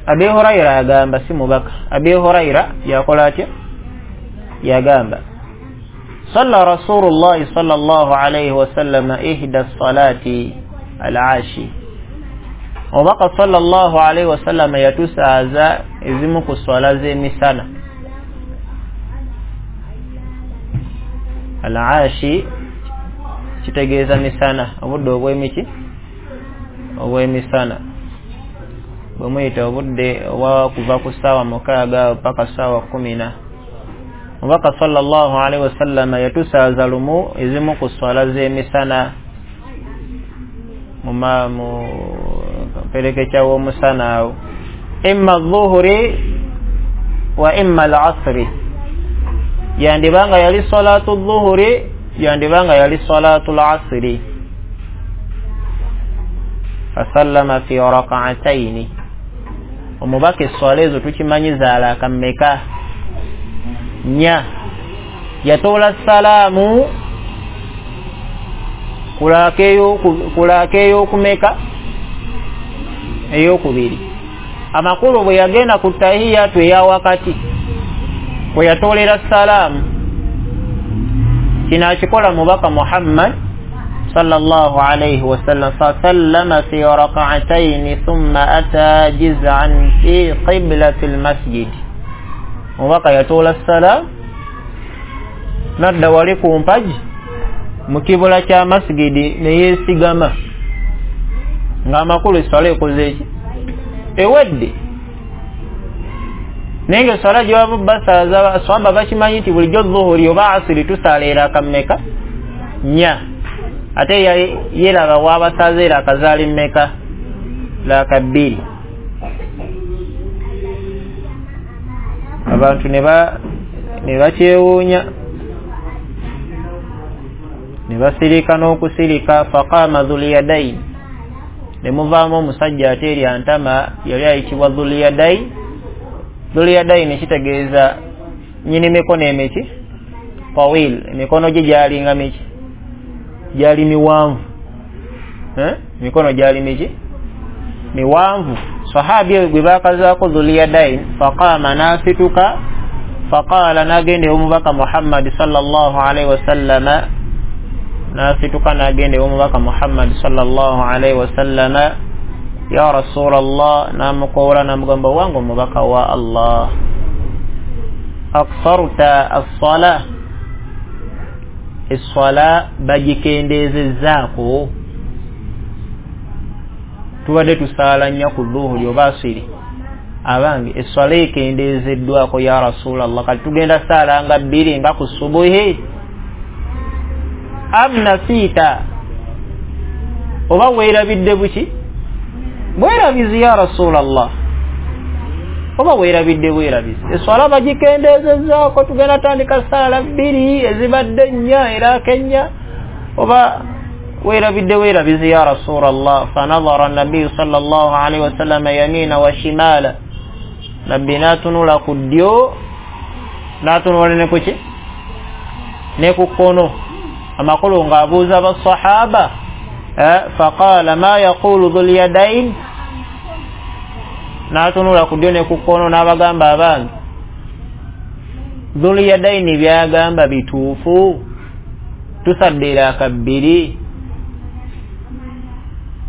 Abi Huraira agamba, si mubaka, Abi Huraira yakola atya? Yagamba salla Rasulullah sallallahu alaihi wasallam ihda salati al-ashi. Omubaka sallallahu alaihi wasallam yatusaaza ezimu ku swala z'emisana. Al-ashi kitegeeza misana, obudde obw'emiki obw'emisana, bwe muyita obudde obwa kuva ku ssaawa mukaaga paka ssaawa kkumi na. Omubaka sallallahu alaihi wasallam yatusaaza lumu ezimu ku swala z'emisana mu mu perekekya w'omusana awo, imma dhuhuri wa imma al-asri, yandibanga yali salatu dhuhuri, yandibanga yali salatu al-asri. Fasallama fi rak'ataini. Omubaka esswala ezo tukimanyi zaalaaka mmeka? Nnya. Yatoola salaamu kulaaka ey'okumeka? Ey'okubiri. Amakulu bwe yagenda ku tahiyatu eya wakati bwe yatoolera salaamu, kino akikola mubaka Muhammad sallallahu alayhi wasallam. Fasallama fi rak'ataini thumma ata jiz'an fi qiblati almasjid. Mubaka yatoola salaamu nadda wali ku mpagi mu kibula kya masjidi ne yeesigama, ng'amakulu esswala ekoze eki? Ewedde. Naye nga esswala gye bava basaaza swaba bakimanyi nti bulijjo zuhuri oba asiri tusaala eraka mmeka? Nnya. Ate yeraba wabasaaza eraka zaali mmeka? Laaka bbiri. Abantu ne ba ne bakyewuunya ne basirika n'okusirika. Faqama dhul yadayn, ne muvaamu omusajja ate eri antama yali ayitibwa Dhul Yadayn. Dhul Yadayn kitegeeza nnyini mikono emiki? Tawil, emikono gye gyalinga miki? Gyali miwanvu. Eh? Emikono gyali miki? Miwanvu. Sahabi gwe baakazaako Dhul Yadayn, faqama n'asituka, faqala n'agenda ew'omubaka Muhammad sallallahu alaihi wasallama, n'asituka n'agenda ew'omubaka Muhammad sallallahu alaihi wasallama, ya Rasulallah, n'amukowoola n'amugamba wange omubaka wa Allah, aqsarta as-sala, esswala bagikendeezezzaako, tubadde tusaala nnya ku dhuhuri oba asiri, abange esswala ekendeezeddwako ya Rasulallah, kati tugenda saala nga bbiri nga ku subuhi. Am nasiita, oba weerabidde buki? Bwerabizi ya Rasulallah, oba weerabidde bwerabizi? Eswala bagikendeezezzaako, tugenda tandika saala bbiri ezibadde nnya eraaka ennya, oba weerabidde weerabizi ya Rasulallah? Fanadhara nabiyu sallallahu alaihi wasallama yamina wa shimala, nabbi n'atunula ku ddyo n'atunula ne kuki ne ku kkono, amakulu ng'abuuza basahaba. Faqala ma yaqulu dhul yadain, n'atunula ku ddyo ne ku kkono n'abagamba abange, dhul yadaini byagamba bituufu, tusadde eraaka bbiri?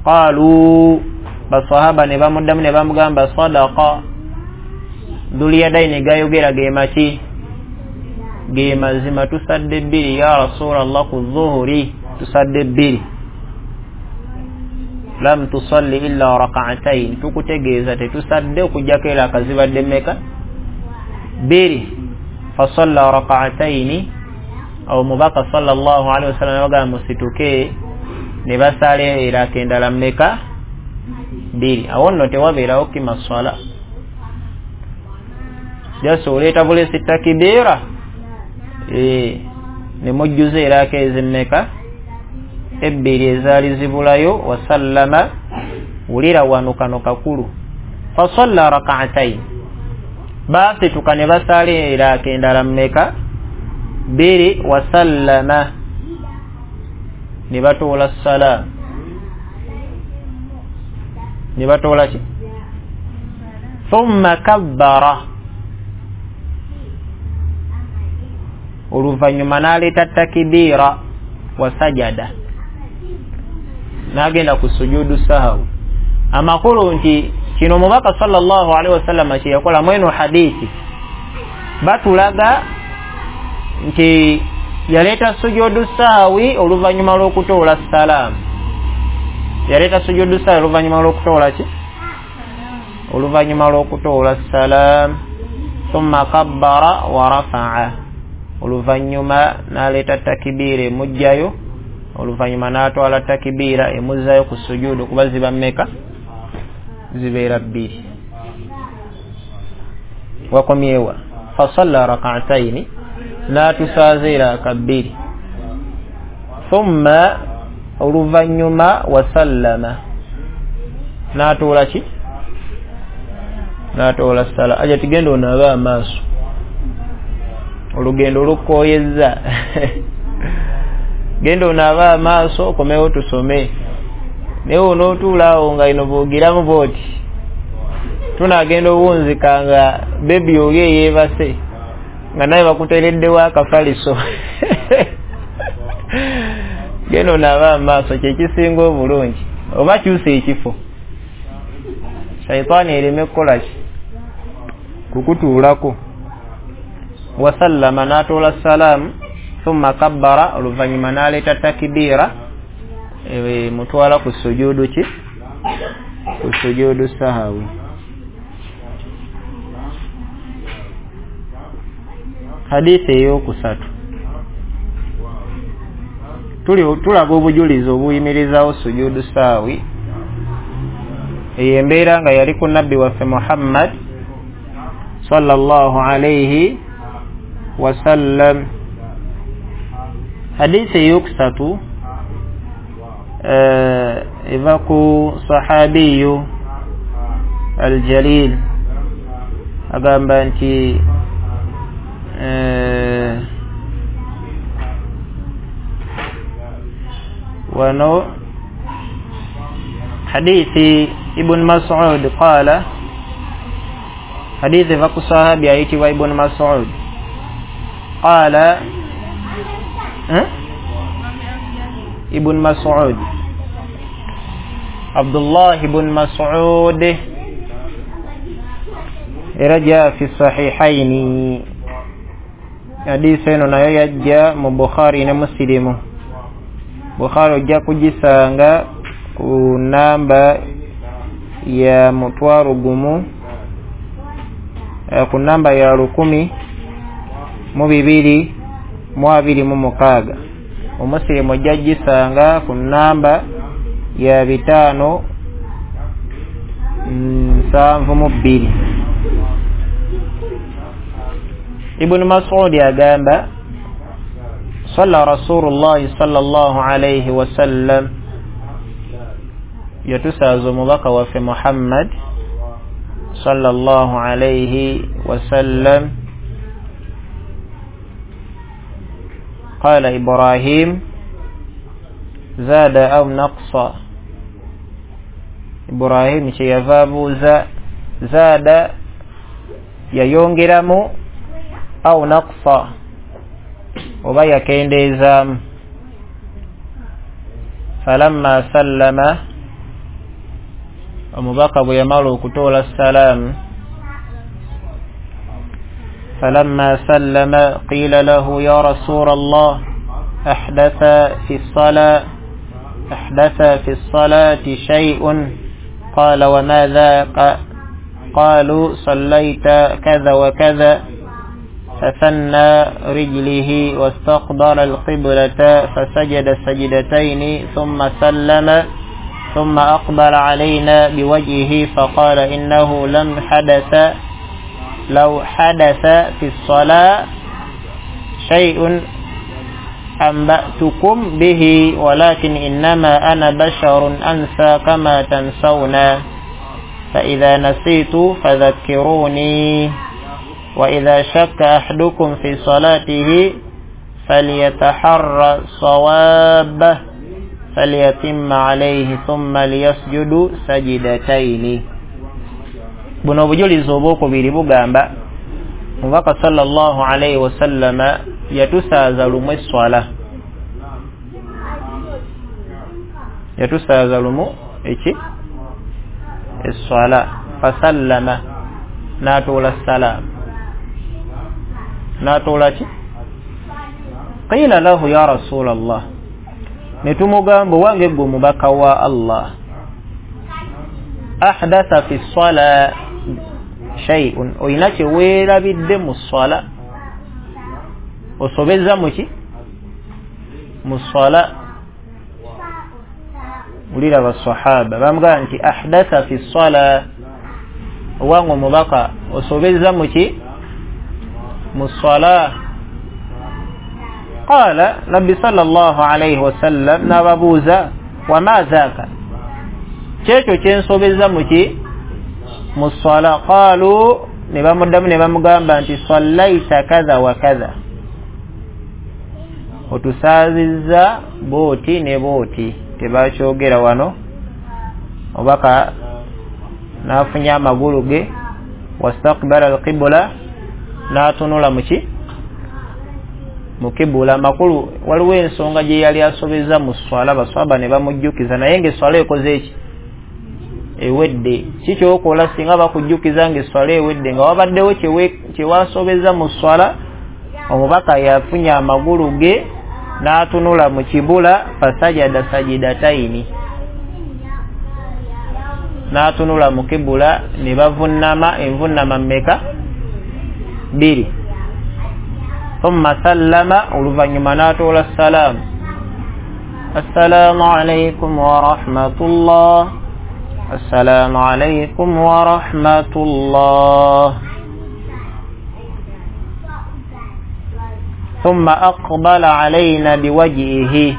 Qalu, basahaba ne bamuddamu ne bamugamba sadaqa, dhul yadaini gayogera ge maki, ge mazima, tusadde bbiri ya Rasulallah, ku zuhuri tusadde bbiri. Lam tusalli illa rak'atayn, tukutegeeza tetusadde okujjako eraaka zibadde mmeka? Bbiri. Fasalla rak'atayn, awo mubaka sallallahu alaihi wasallam yabagamba musituke ne basaala eraaka endala mmeka? Bbiri. Awo nno tewabeerawo kima swala, jasi oleeta bulesi takibiira ne mujjuza eraaka ezimmeka? Ebbiri ezaali zibulayo. Wasallama, wulira wano kano kakulu, fasalla rak'atayn, baasituka ne basaala eraaka endala mmeka? Bbiri. Wasallama, ne batoola salaamu, ne batoola ki? Thumma kabbara, oluvannyuma n'aleeta takibiira, wasajada, n'agenda ku sujudu sahawi. Amakulu nti kino mubaka sallallahu alaihi wasallam kye yakola mweno hadithi batulaga nti yaleeta sujudu sahawi oluvannyuma lw'okutoola salaamu. Yaleeta sujudu sahawi oluvannyuma lw'okutoola ki? Oluvannyuma lw'okutoola salaamu. Thumma kabbara wa rafa'a, oluvannyuma n'aleeta takibiira emugjayo, oluvannyuma n'atwala takibiira emuzzayo ku sujudu, kuba ziba mmeka? Zibeera bbiri. Wakomyewa fasalla rak'ataini, n'atusaaza eraaka bbiri. Thumma, oluvannyuma wasallama, n'atoola ki? N'atoola sala. Aja tigenda onaabe amaaso, olugendo lukooyezza genda onaabe amaaso okomewo tusome, naye onootuula awo nga ino boogiramu bwoti tunaagenda owunzika nga bebi oli eyeebase nga naye bakuteereddewo akafaliso genda onaabe amaaso, kyekisinga obulungi, oba kyusa ekifo shaitaani ereme kukola ki? Kukutuulako. Wasallama, n'atoola salaamu. Thumma kabbara, oluvannyuma n'aleeta takibiira mutwala ku sujudu ki? Ku sujudu sahawi. Hadithi eyokusatu tulaba obujulizi obuyimirizaawo sujudu sahawi. Eyo embeera nga yali ku nabbi waffe Muhammad sallallahu alaihi wasallam. Hadithi eyokusatu eva ku sahabiyu aljalil, agamba nti wano hadithi Ibn Mas'ud qala, hadithi eva ku sahabi ayitibwa Ibn Mas'ud qala, Ibn Mas'ud, Abdullah ibn Mas'ud, era jaa fi sahihaini, hadithi eno nayo yajja mu Bukhari ne Muslimu. Bukhari ojja kugisanga ku namba ya mutwaro gumu, ku namba ya lukumi mu bibiri mu abiri mu mukaaga. Omusilimu ojja gisanga ku namba ya bitaano nsanvu mu bbiri. Ibn Mas'ud agamba salla Rasulullah sallallahu alayhi wasallam, yatusaaza omubaka waffe Muhammad sallallahu alayhi wasallam. Qala Ibrahim zada au naqsa, Ibrahim kyeyava abuuza zada yayongeramu au naqsa oba yakendeezaamu. Falamma sallama, omubaka bwe yamala okutoola salaamu, falamma sallama qila lahu ya rasula Allah ahdatha fi sala ahdatha fi salati shay'un qala wa ma dhaka qalu sallaita kadha wa kadha فثنى رجله واستقبل القبلة فسجد سجدتين ثم سلم ثم أقبل علينا بوجهه فقال إنه لم حدث لو حدث في الصلاة شيء أنبأتكم به ولكن إنما أنا بشر أنسى كما تنسون فإذا نسيت فذكروني وإذا شك أحدكم في صلاته فليتحرى صوابه فليتم عليه ثم ليسجد سجدتين. Buno obujulizi obwokubiri bugamba omubaka sallallahu alayhi wasallama yatusaaza lumu esswala, yatusaaza lumu eki esswala, fasallama n'atuula salaamu n'atuula ki qila lahu ya rasulallah, ne tumugamba wange gwe omubaka wa Allah ahdatha fi ssala shay'un, oyina kye weerabidde mu sswala, osobezza muki mu sswala. Ulira basahaba bamugamba nti ahdatha fi ssala, owange omubaka osobezza muki mu sswala. Qala nabbi sallallahu alayhi wasallam n'ababuuza wama dhaka, kyekyo kyensobezza muki mu sswala. Qalu, ne bamuddamu ne bamugamba nti sallaita kadha wa kadha, otusaazizza booti ne booti. Tebakyogera wano, obaka n'afunya amagulu ge wastaqbala alqibla, n'atunula muki mu kibula. Makulu waliwo ensonga gye yali asobeza mu sswala, baswaba ne bamujjukiza naye ng'esswala ekoze eki ewedde. Ki kyokola singa bakujjukiza ng'esswala ewedde nga wabaddewo kye wasobeza mu sswala? Omubaka yafunya amagulu ge n'atunula mu kibula fasajada sajidataini, n'atunula mu kibula ne bavunnama envunnama mmeka bbiri. Thumma sallama, oluvannyuma n'atoola salaamu, assalaamu alaykum wa rahmatullah, assalaamu alaykum wa rahmatullah. Thumma aqbala alayna biwajhihi,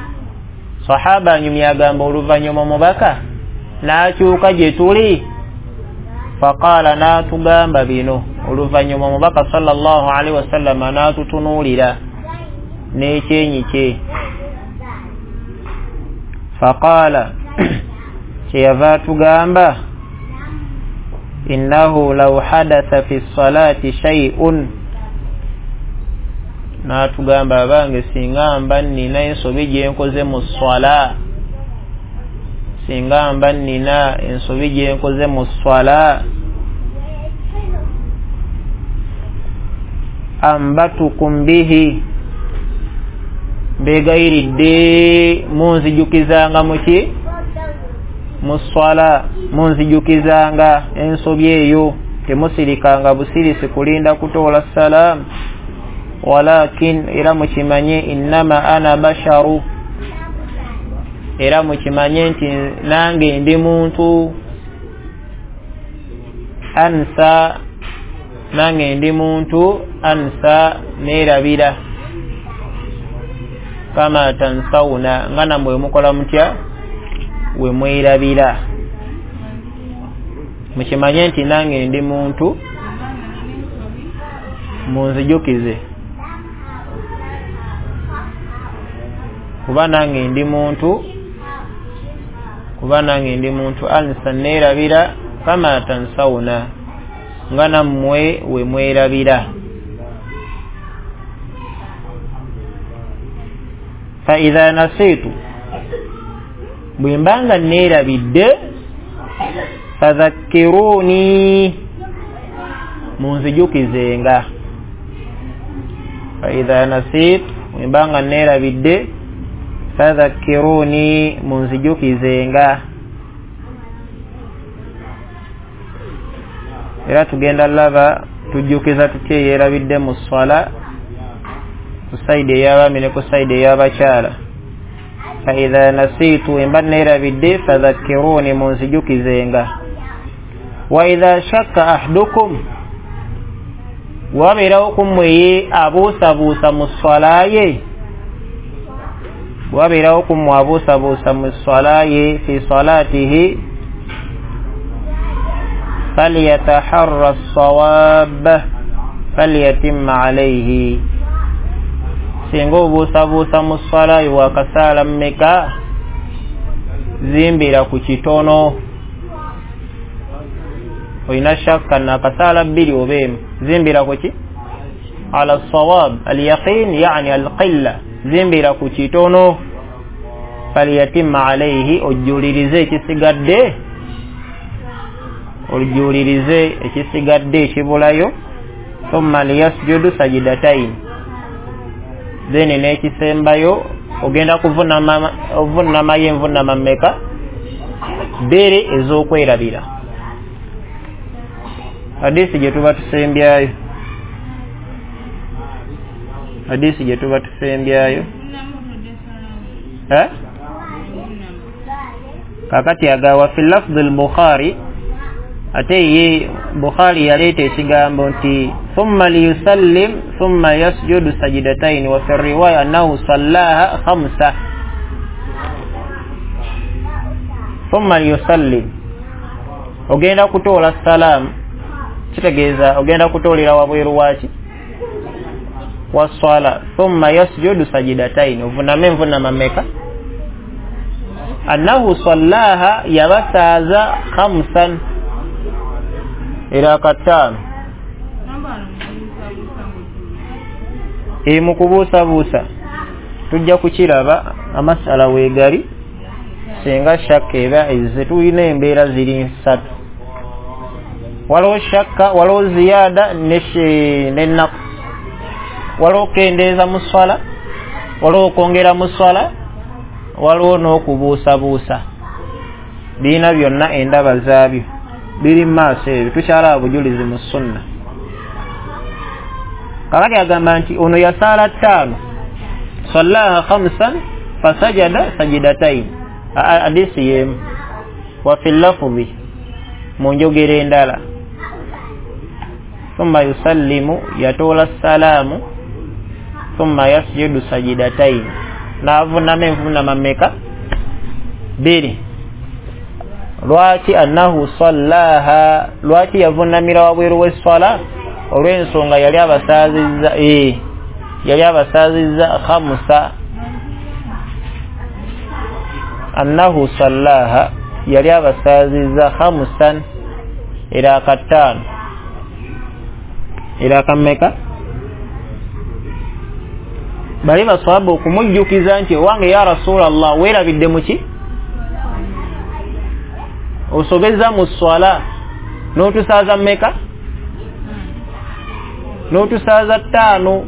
sahaba nyumya agamba oluvannyuma omubaka n'akyuka gye tuli, faqala n'atugamba bino. Oluvannyuma omubaka sallallahu alaihi wasallam n'atutunuulira n'ekyenyi kye, faqala kyeyava atugamba innahu law hadatha fi ssalati shay'un, n'atugamba abange singa mba nnina ensobi gye nkoze mu sswala, singa mba nnina ensobi gye nkoze mu sswala, ambatukum bihi, mbeegayiridde munzijukizanga muki mu sswala, munzijukizanga ensobi eyo, temusirikanga busirisi kulinda kutoola salaamu. Walakin, era mukimanye innama ana basharu, era mukimanye nti nange ndi muntu, Ansa, nange ndi muntu, ansa neerabira, kama tansawuna, nga nammwe mukola mutya we mwerabira. Mukimanye nti nange ndi muntu, munzijukize kuba nange ndi muntu, kuba nange ndi muntu. Ansa neerabira, kama tansawuna, nga nammwe we mwerabira. Fa idha nasitu, bwe mbanga neerabidde, fadhakkiruni, munzijukizenga. Fa idha nasitu, bwe mbanga neerabidde, fadhakkiruni, munzijukizenga. Era tugenda laba tujjukiza tutya yeerabidde mu swala, ku sayidi ey'abaami ne ku sayidi ey'abakyala. Fa idha nasitu, emba neerabidde, fadhakkiruni, munzijukizenga. Wa idha shakka ahadukum, wabeerawo ku mmwe ye abuusabuusa mu swala ye, wabeerawo ku mmwe abuusabuusa mu swala ye, fi salatihi falyataharra as-sawab falyatimma alayhi. Singa obuusabuusa mu swala ye wakasaala mmeka, zimbira ku kitono. Olina shakka nakasaala bbiri oba emu, zimbira ku ki? Ala sawab alyaqin, yani alqilla, zimbira ku kitono. Falyatimma alayhi, ojjulirize ekisigadde, ojjulirize ekisigadde ekibulayo. Thumma liyasjudu sajidatain, then n'ekisembayo ogenda kuvunama, ovunamayo envunama mmeka? Bbiri ez'okwerabira. Hadisi gye tuba tusembyayo, hadisi gye tuba tusembyayo eh? Kakati agawa fi lafdhi al-Bukhari, ate ye Bukhari yaleeta ekigambo nti thumma liyusallim thumma yasjudu sajidataini, wa fi riwaya annahu sallaha khamsa. Thumma liyusallim, ogenda kutoola salaamu, kitegeeza ogenda kutoolera wabweru waki wa swala. Thumma yasjudu sajidataini, ovuname envunama mmeka? Annahu sallaha, yabasaaza khamsan, era kataano. E mu kubuusabuusa tujja kukiraba amasala weegali singa shakka eba ezze. Tulina embeera ziri nsatu, waliwo shakka, waliwo ziyaada n'ennaku, waliwo okukendeeza mu swala, waliwo okwongera mu swala, waliwo n'okubuusabuusa. Birina byonna endaba zaabyo biri mu maaso ebyo, tukyalaba bujulizi mu sunna. Kakati agamba nti ono yasaala ttaano, sallaha khamsan fasajada sajidatain, hadisi yemu. Wa fi lafdhi, mu njogera endala, thumma yusallimu, yatoola salaamu, thumma yasjudu sajidatain, n'avunama envunama mmeka? Bbiri. Lwaki? Annahu sallaha, lwaki yavunamira wabweru w'esswala? Olw'ensonga yali abasaazizza, eh, yali abasaazizza khamsa. Annahu sallaha, yali abasaazizza khamsan, era kataano, era kammeka? Bali baswaba okumujjukiza nti owange ya Rasulallah, weerabidde muki? Osobezza mu swala n'otusaaza mmeka? N'otusaaza ttaano.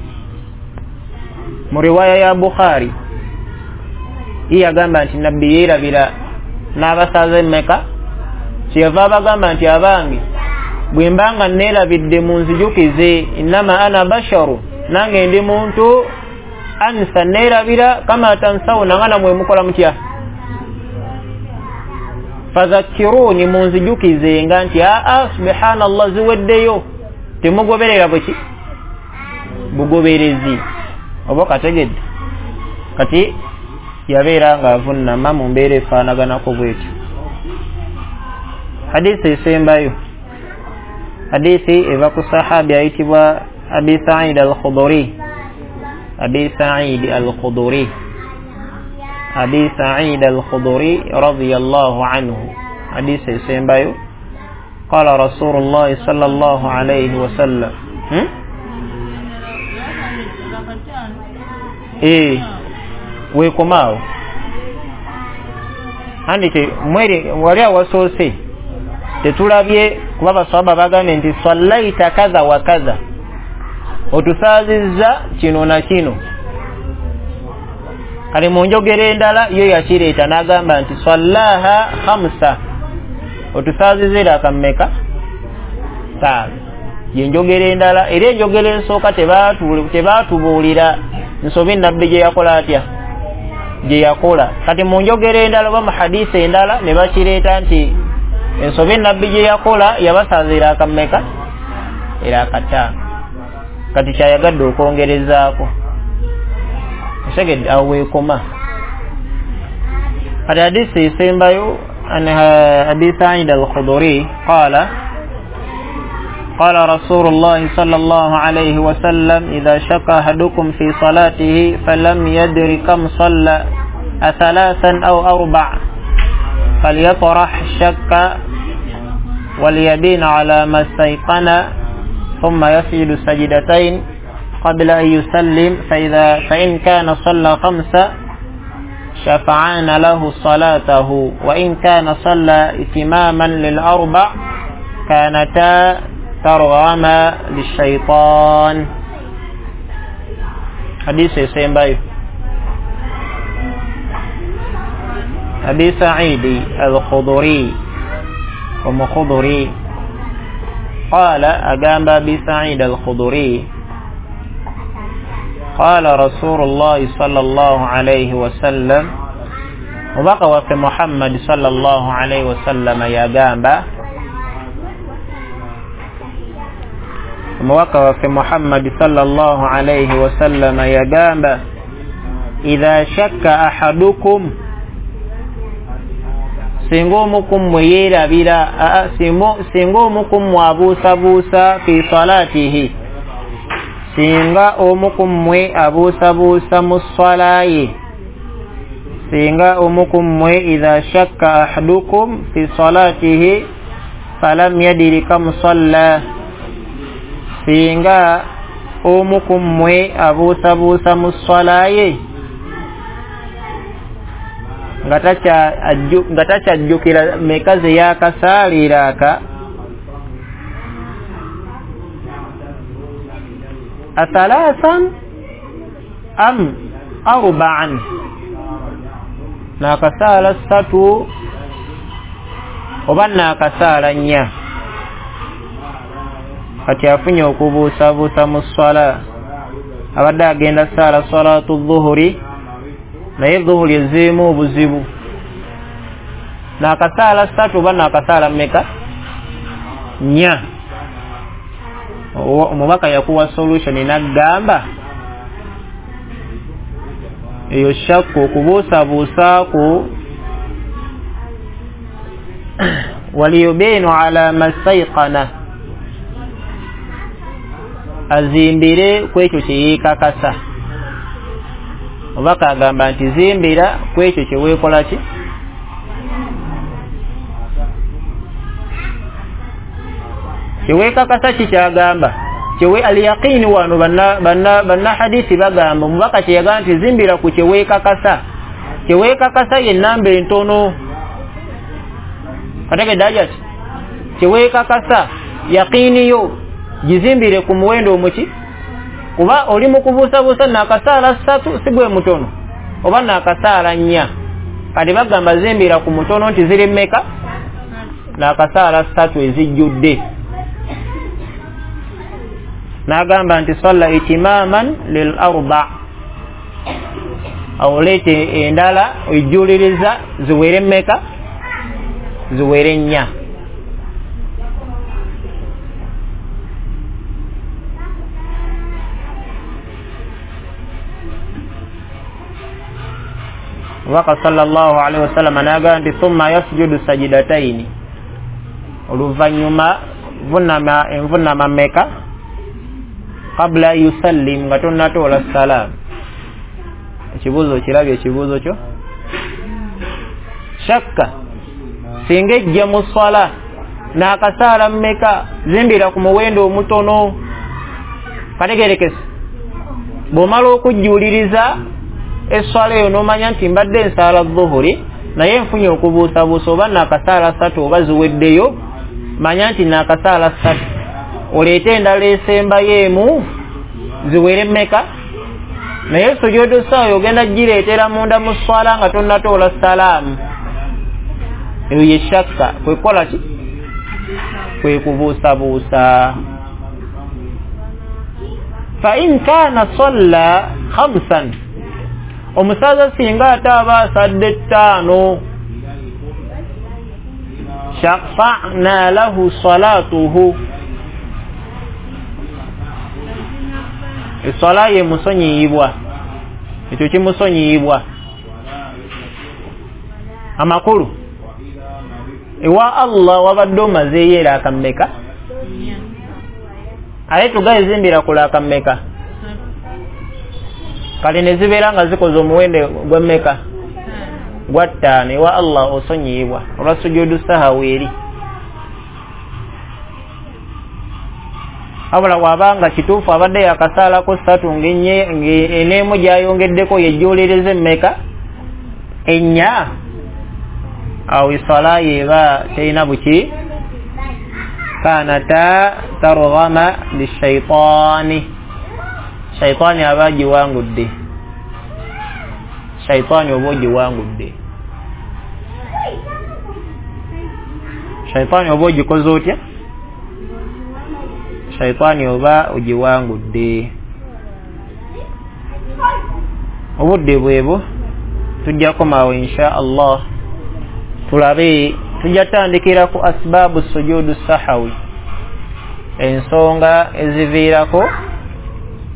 Mu riwaya ya Bukhari ye yagamba nti nabbi yeerabira n'abasaaza emmeka, kyeyava abagamba nti abange bwe mbanga neerabidde munzijukize, innama ana basharu, nange ndi muntu, ansa neerabira, kama tansawuna, nga namwe mukola mutya? Fadhakkiruni, munzijukizenga nti aa subhanallah ziweddeyo, temugoberera bweki bugoberezi. Oba kategedde? Kati yabeera nga avunnama mu mbeera efaanaganako bwetyo. Hadisi esembayo, hadisi eva ku sahabi ayitibwa Abi Sa'id al-Khudri. Abi Sa'id al-Khudri, Abi Sa'id al-Khudri radiyallahu anhu. Hadisi esembayo, qala Rasulullah sallallahu alayhi wasallam. hmm? Eh, wekomaawo andi mwere wali awasoose tetulabye kuba baswaba bagambye nti sallaita kadha wa kadha, otusaazizza kino na kino. Kale mu njogera endala yo yakireeta n'agamba nti sallaha khamsa, otusaazizza era mmeka? Ttaano. Yenjogera endala, era enjogera ensooka tebaatubuulira nsobi nabbi gye yakola atya, gye yakola. Kati mu njogera endala oba mu hadisi endala ne bakireeta nti ensobi nabbi gye yakola yabasaazira akammeka? Era akataano. Kati kyayagadde okwongerezaako osegedde awo weekoma. Kati hadisi esembayo, an Abi Sa'id al-Khudri qala قال رسول الله صلى الله عليه وسلم إذا شك أحدكم في صلاته فلم يدر كم صلى أثلاثا أو أربع فليطرح الشك وليبين على ما استيقن ثم يسجد سجدتين قبل أن يسلم، فإذا فإن كان صلى خمسة شفعان له صلاته، وإن كان صلى إتماما للأربع كانتا ترغما للشيطان. حديث سيمباي أبي سعيد الخضري ومخضري قال أقام أبي سعيد الخضري قال رسول الله صلى الله عليه وسلم وبقى في محمد صلى الله عليه وسلم يا قام omubaka waffe Muhammad sallallahu alayhi wasallam yagamba idha shakka ahadukum, singa omu ku mmwe yeerabira, singa omu ku mmwe abuusabuusa fi salatihi, singa omu ku mmwe abuusabuusa mu swala ye, singa omu ku mmwe idha shakka ahadukum fi salatihi falam yadiri kam salla, singa omu ku mmwe abuusabuusa mu swala ye nga takyajjukira meka ze yakasaalira aka athalathan am arba'an, nakasaala ssatu oba nakasaala nnya. Kati afunye okubuusabuusa mu swala, abadde agenda saala salatu dhuhuri naye dhuhuri ezeemu obuzibu, nakasaala ssatu oba nakasaala mmeka? Nnya. Omubaka yakuwa solution n'agamba eyo shakku okubuusabuusaako waliyubinu ala mastayqana, azimbire ku ekyo kye yeekakasa. Omubaka agamba nti zimbira ku ekyo kye weekola ki? Kyeweekakasa ki kyagamba kyewe aliyaqini. Wano banna banna banna hadisi bagamba omubaka kye yagamba nti zimbira ku kyeweekakasa, kyeweekakasa ye namba entono. Kategedde ajati kyeweekakasa yaqini yo gizimbire ku muwendo omuki, kuba oli mu kubuusabuusa nakasaala ssatu si gwe mutono oba nakasaala nnya. Kati bagamba zimbira ku mutono nti ziri mmeka? Nakasaala ssatu ezijjudde. N'agamba nti salla itimaman lil arba, awo leete endala ejjuliriza ziwere mmeka? Ziwere nnya. Omubaka sallallahu alaihi wasallam n'agamba nti thumma yasjudu sajidataini, oluvannyuma vunama envunama mmeka? Qabla yusallim, nga tonnatoola salaamu. Ekibuuzo kirabye ekibuuzo kyo shakka singa ejja mu swala n'akasaala mmeka, zimbira ku muwendo omutono. Kategerekese, bw'omala okujjuuliriza eswala eyo n'omanya nti mbadde nsaala dhuhuri naye nfunye okubuusabuusa oba naakasaala ssatu oba ziweddeyo, manya nti naakasaala ssatu, oleete endala esembayo emu ziwere mmeka? Naye sujudu sahwi ogenda gireetera munda mu swala nga tonnatoola salaamu. Eyo ye shakka, kwe kukola ki? Kwe kubuusabuusa. Fa in kaana salla khamsan, omusaza singa ate aba asadde ttaano, shafa'na lahu salatuhu, eswala ye musonyiyibwa, ekyo kimusonyiyibwa. Amakulu ewa Allah wabadde omazeeyo eraaka mmeka? Aye tugayizimbira ku laaka mmeka? Kale ne zibeera nga zikoze omuwendo gwa mmeka? Gwa ttaano. Ewa Allah osonyiyibwa olwa sujudu sahawi eri. Wabula bw'abanga kituufu abadde yakasaalako ssatu ng'eneemu gy'ayongeddeko yejjuuliriza emmeka? Ennya. Awo eswala ye eba terina buki? Kanata targhama lishaitaani, shaitaani aba agiwangudde, shaitaani oba ogiwangudde, shaitaani oba ogikoze otya? Shaitaani oba ogiwangudde. Obudde bwebwo tujja komawo insha Allah, tulabe tujja tandikira ku asbaabu sujudu sahawi, ensonga eziviirako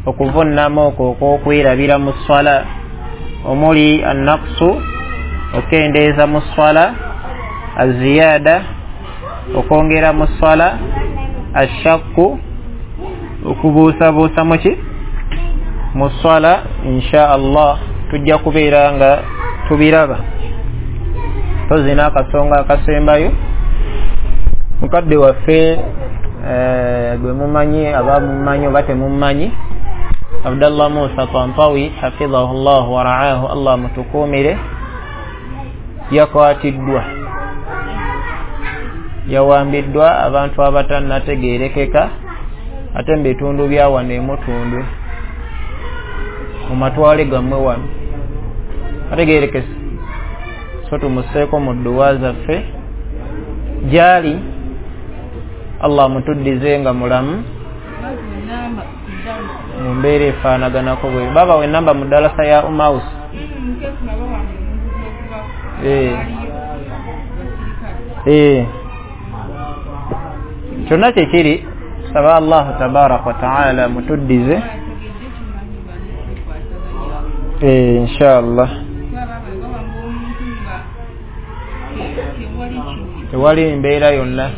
okuvunnama okwo okw'okwerabira mu swala, omuli annaqsu okendeeza mu swala, aziyada okwongera mu swala, ashakku okubuusabuusa muki mu swala. Insha Allah tujja kubeera nga tubiraba. Tozina akasonga akasembayo mukadde waffe gwe mumanyi, aba mumanyi oba temumanyi, Abdallah Musa Tantawi hafidhahu llah wa ra'ahu, Allah mutukuumire, yakwatiddwa, yawambiddwa abantu abatannategeerekeka ate mu bitundu bya wano emutundwe mu matwale gammwe wano ategeerekese. So tumuseeko mu dduwa zaffe gyali, Allah mutuddize nga mulamu mu mbeera efaanaganako bwe. Baba we namba mu ddalasa ya Umaus. Eh. Eh. Kyonna kyekiri, saba Allah tabaraka wa taala mutuddize eh inshallah. Tewali mbeera yonna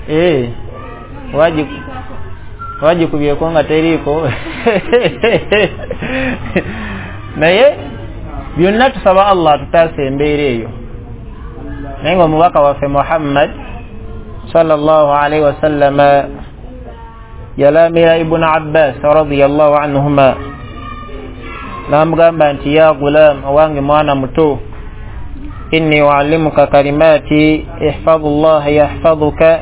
eh wagikubyeko nga teriiko naye byonna tusaba Allah tutaase embeera eyo. Naye nga omubaka waffe Muhammad sallallahu alaihi wasallam yalamira Ibn Abbas radiyallahu anhuma, n'amugamba nti ya gulam, owange mwana muto, inni uallimuka kalimati ihfazullaha yahfazuka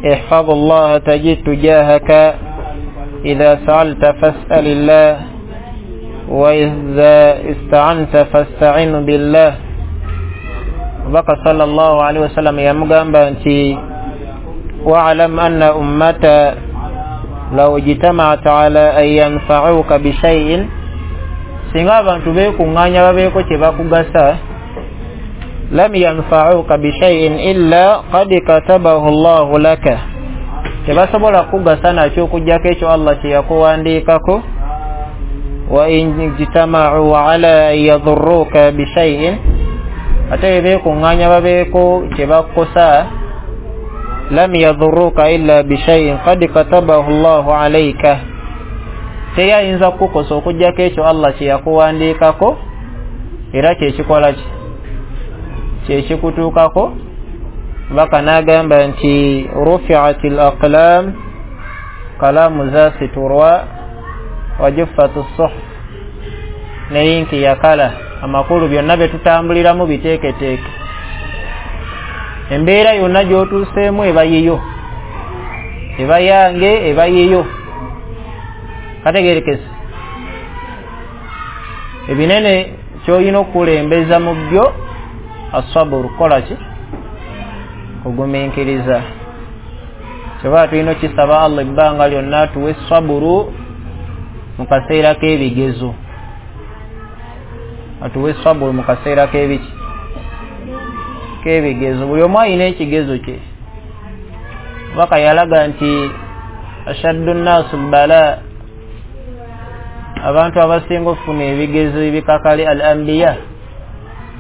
ihfazullaha tajid tujahaka idha sa'alta fas'alillah wa idha ista'anta fasta'in billah. Omubaka sallallahu alaihi wasallam yamugamba nti wa'lam anna ummata law ijtama'at ala an yanfa'uka bishay'in Singa abantu beekuŋŋaanya babeeko kye bakugasa, lam yanfa'uka bishay'in illa qad katabahu Allahu laka, tebasobola kugasa nakyo okuggyako ekyo Allah kye yakuwandiikako. Wa in ijtama'u ala yadurruka bishay'in, ate beekuŋŋaanya babeeko kye bakukosa, lam yadurruka illa bishay'in qad katabahu Allahu alayka, teri ayinza kukukosa okuggyako ekyo Allah kye yakuwandiikako, era kyekikola ki kyekikutuukako. Baka n'agamba nti rufi'at al-aqlam, kalamu zasiturwa, wajuffat as-suhuf, ne yinki yakala. Amakulu byonna bye tutambuliramu biteeketeeke, embeera yonna gy'otuuseemu eba yiyo, eba yange, eba yiyo. Kategerekese ebinene ky'olina okukulembeza mu byo asaburu, kukola ki? Kugumiikiriza. Kyova tulina okisaba Allah ebbanga lyonna tuwe saburu mu kaseera k'ebigezo, atuwe saburu mu kaseera k'ebiki k'ebigezo. Buli omu alina ekigezo kye. Baka yalaga nti ashaddu nnaasu bala, abantu abasinga okufuna ebigezo ebikakali al anbiya,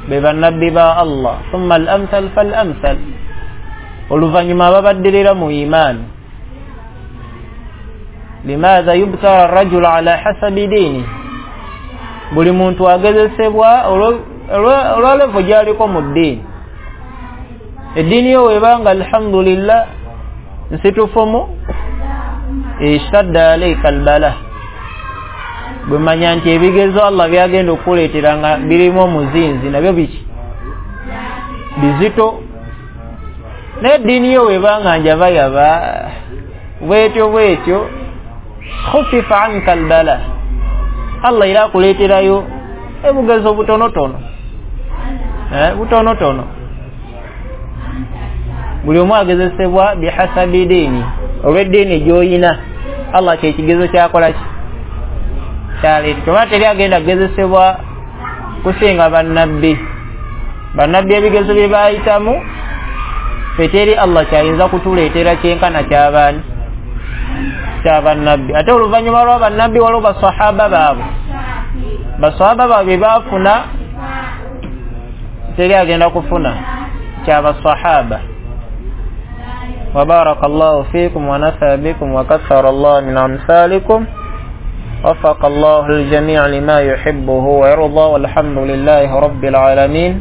be bannabbi ba Allah, thumma al amthal fal amthal, oluvannyuma ababaddirira mu imaani. Limaadha yubtala arrajulu ala hasabi diini, buli muntu agezesebwa olwa levo gy'aliko mu ddiini. Eddiini yo webanga alhamdulillah nsitufumu, ishtadda alayka albala, bwemanya nti ebigezo Allah byagenda okukuleetera nga birimu omuzinzi nabyo biki bizito. Naye eddiini yo webanga njabayaba bwetyo bwetyo, khufifa anka albala, Allah era akuleeterayo ebugezo butonotono, eh, butonotono. Buli omu agezesebwa bihasabi diini, olw'eddiini gy'oyina. Allah kyekigezo kyakola ki kyaleeta. Kyova teri agenda kugezesebwa kusinga bannabbi. Bannabbi ebigezo bye baayitamu ffe teri Allah kyayinza kutuleetera kyenkana kyabaani kyabannabbi. Ate oluvannyuma lwa bannabbi waliwo basahaba baabwe, basahaba baabwe baafuna, teri agenda kufuna kyabasahaba. وبارك الله فيكم ونفع بكم وكثر الله من أمثالكم، وفق الله الجميع لما يحبه ويرضى، والحمد لله رب العالمين.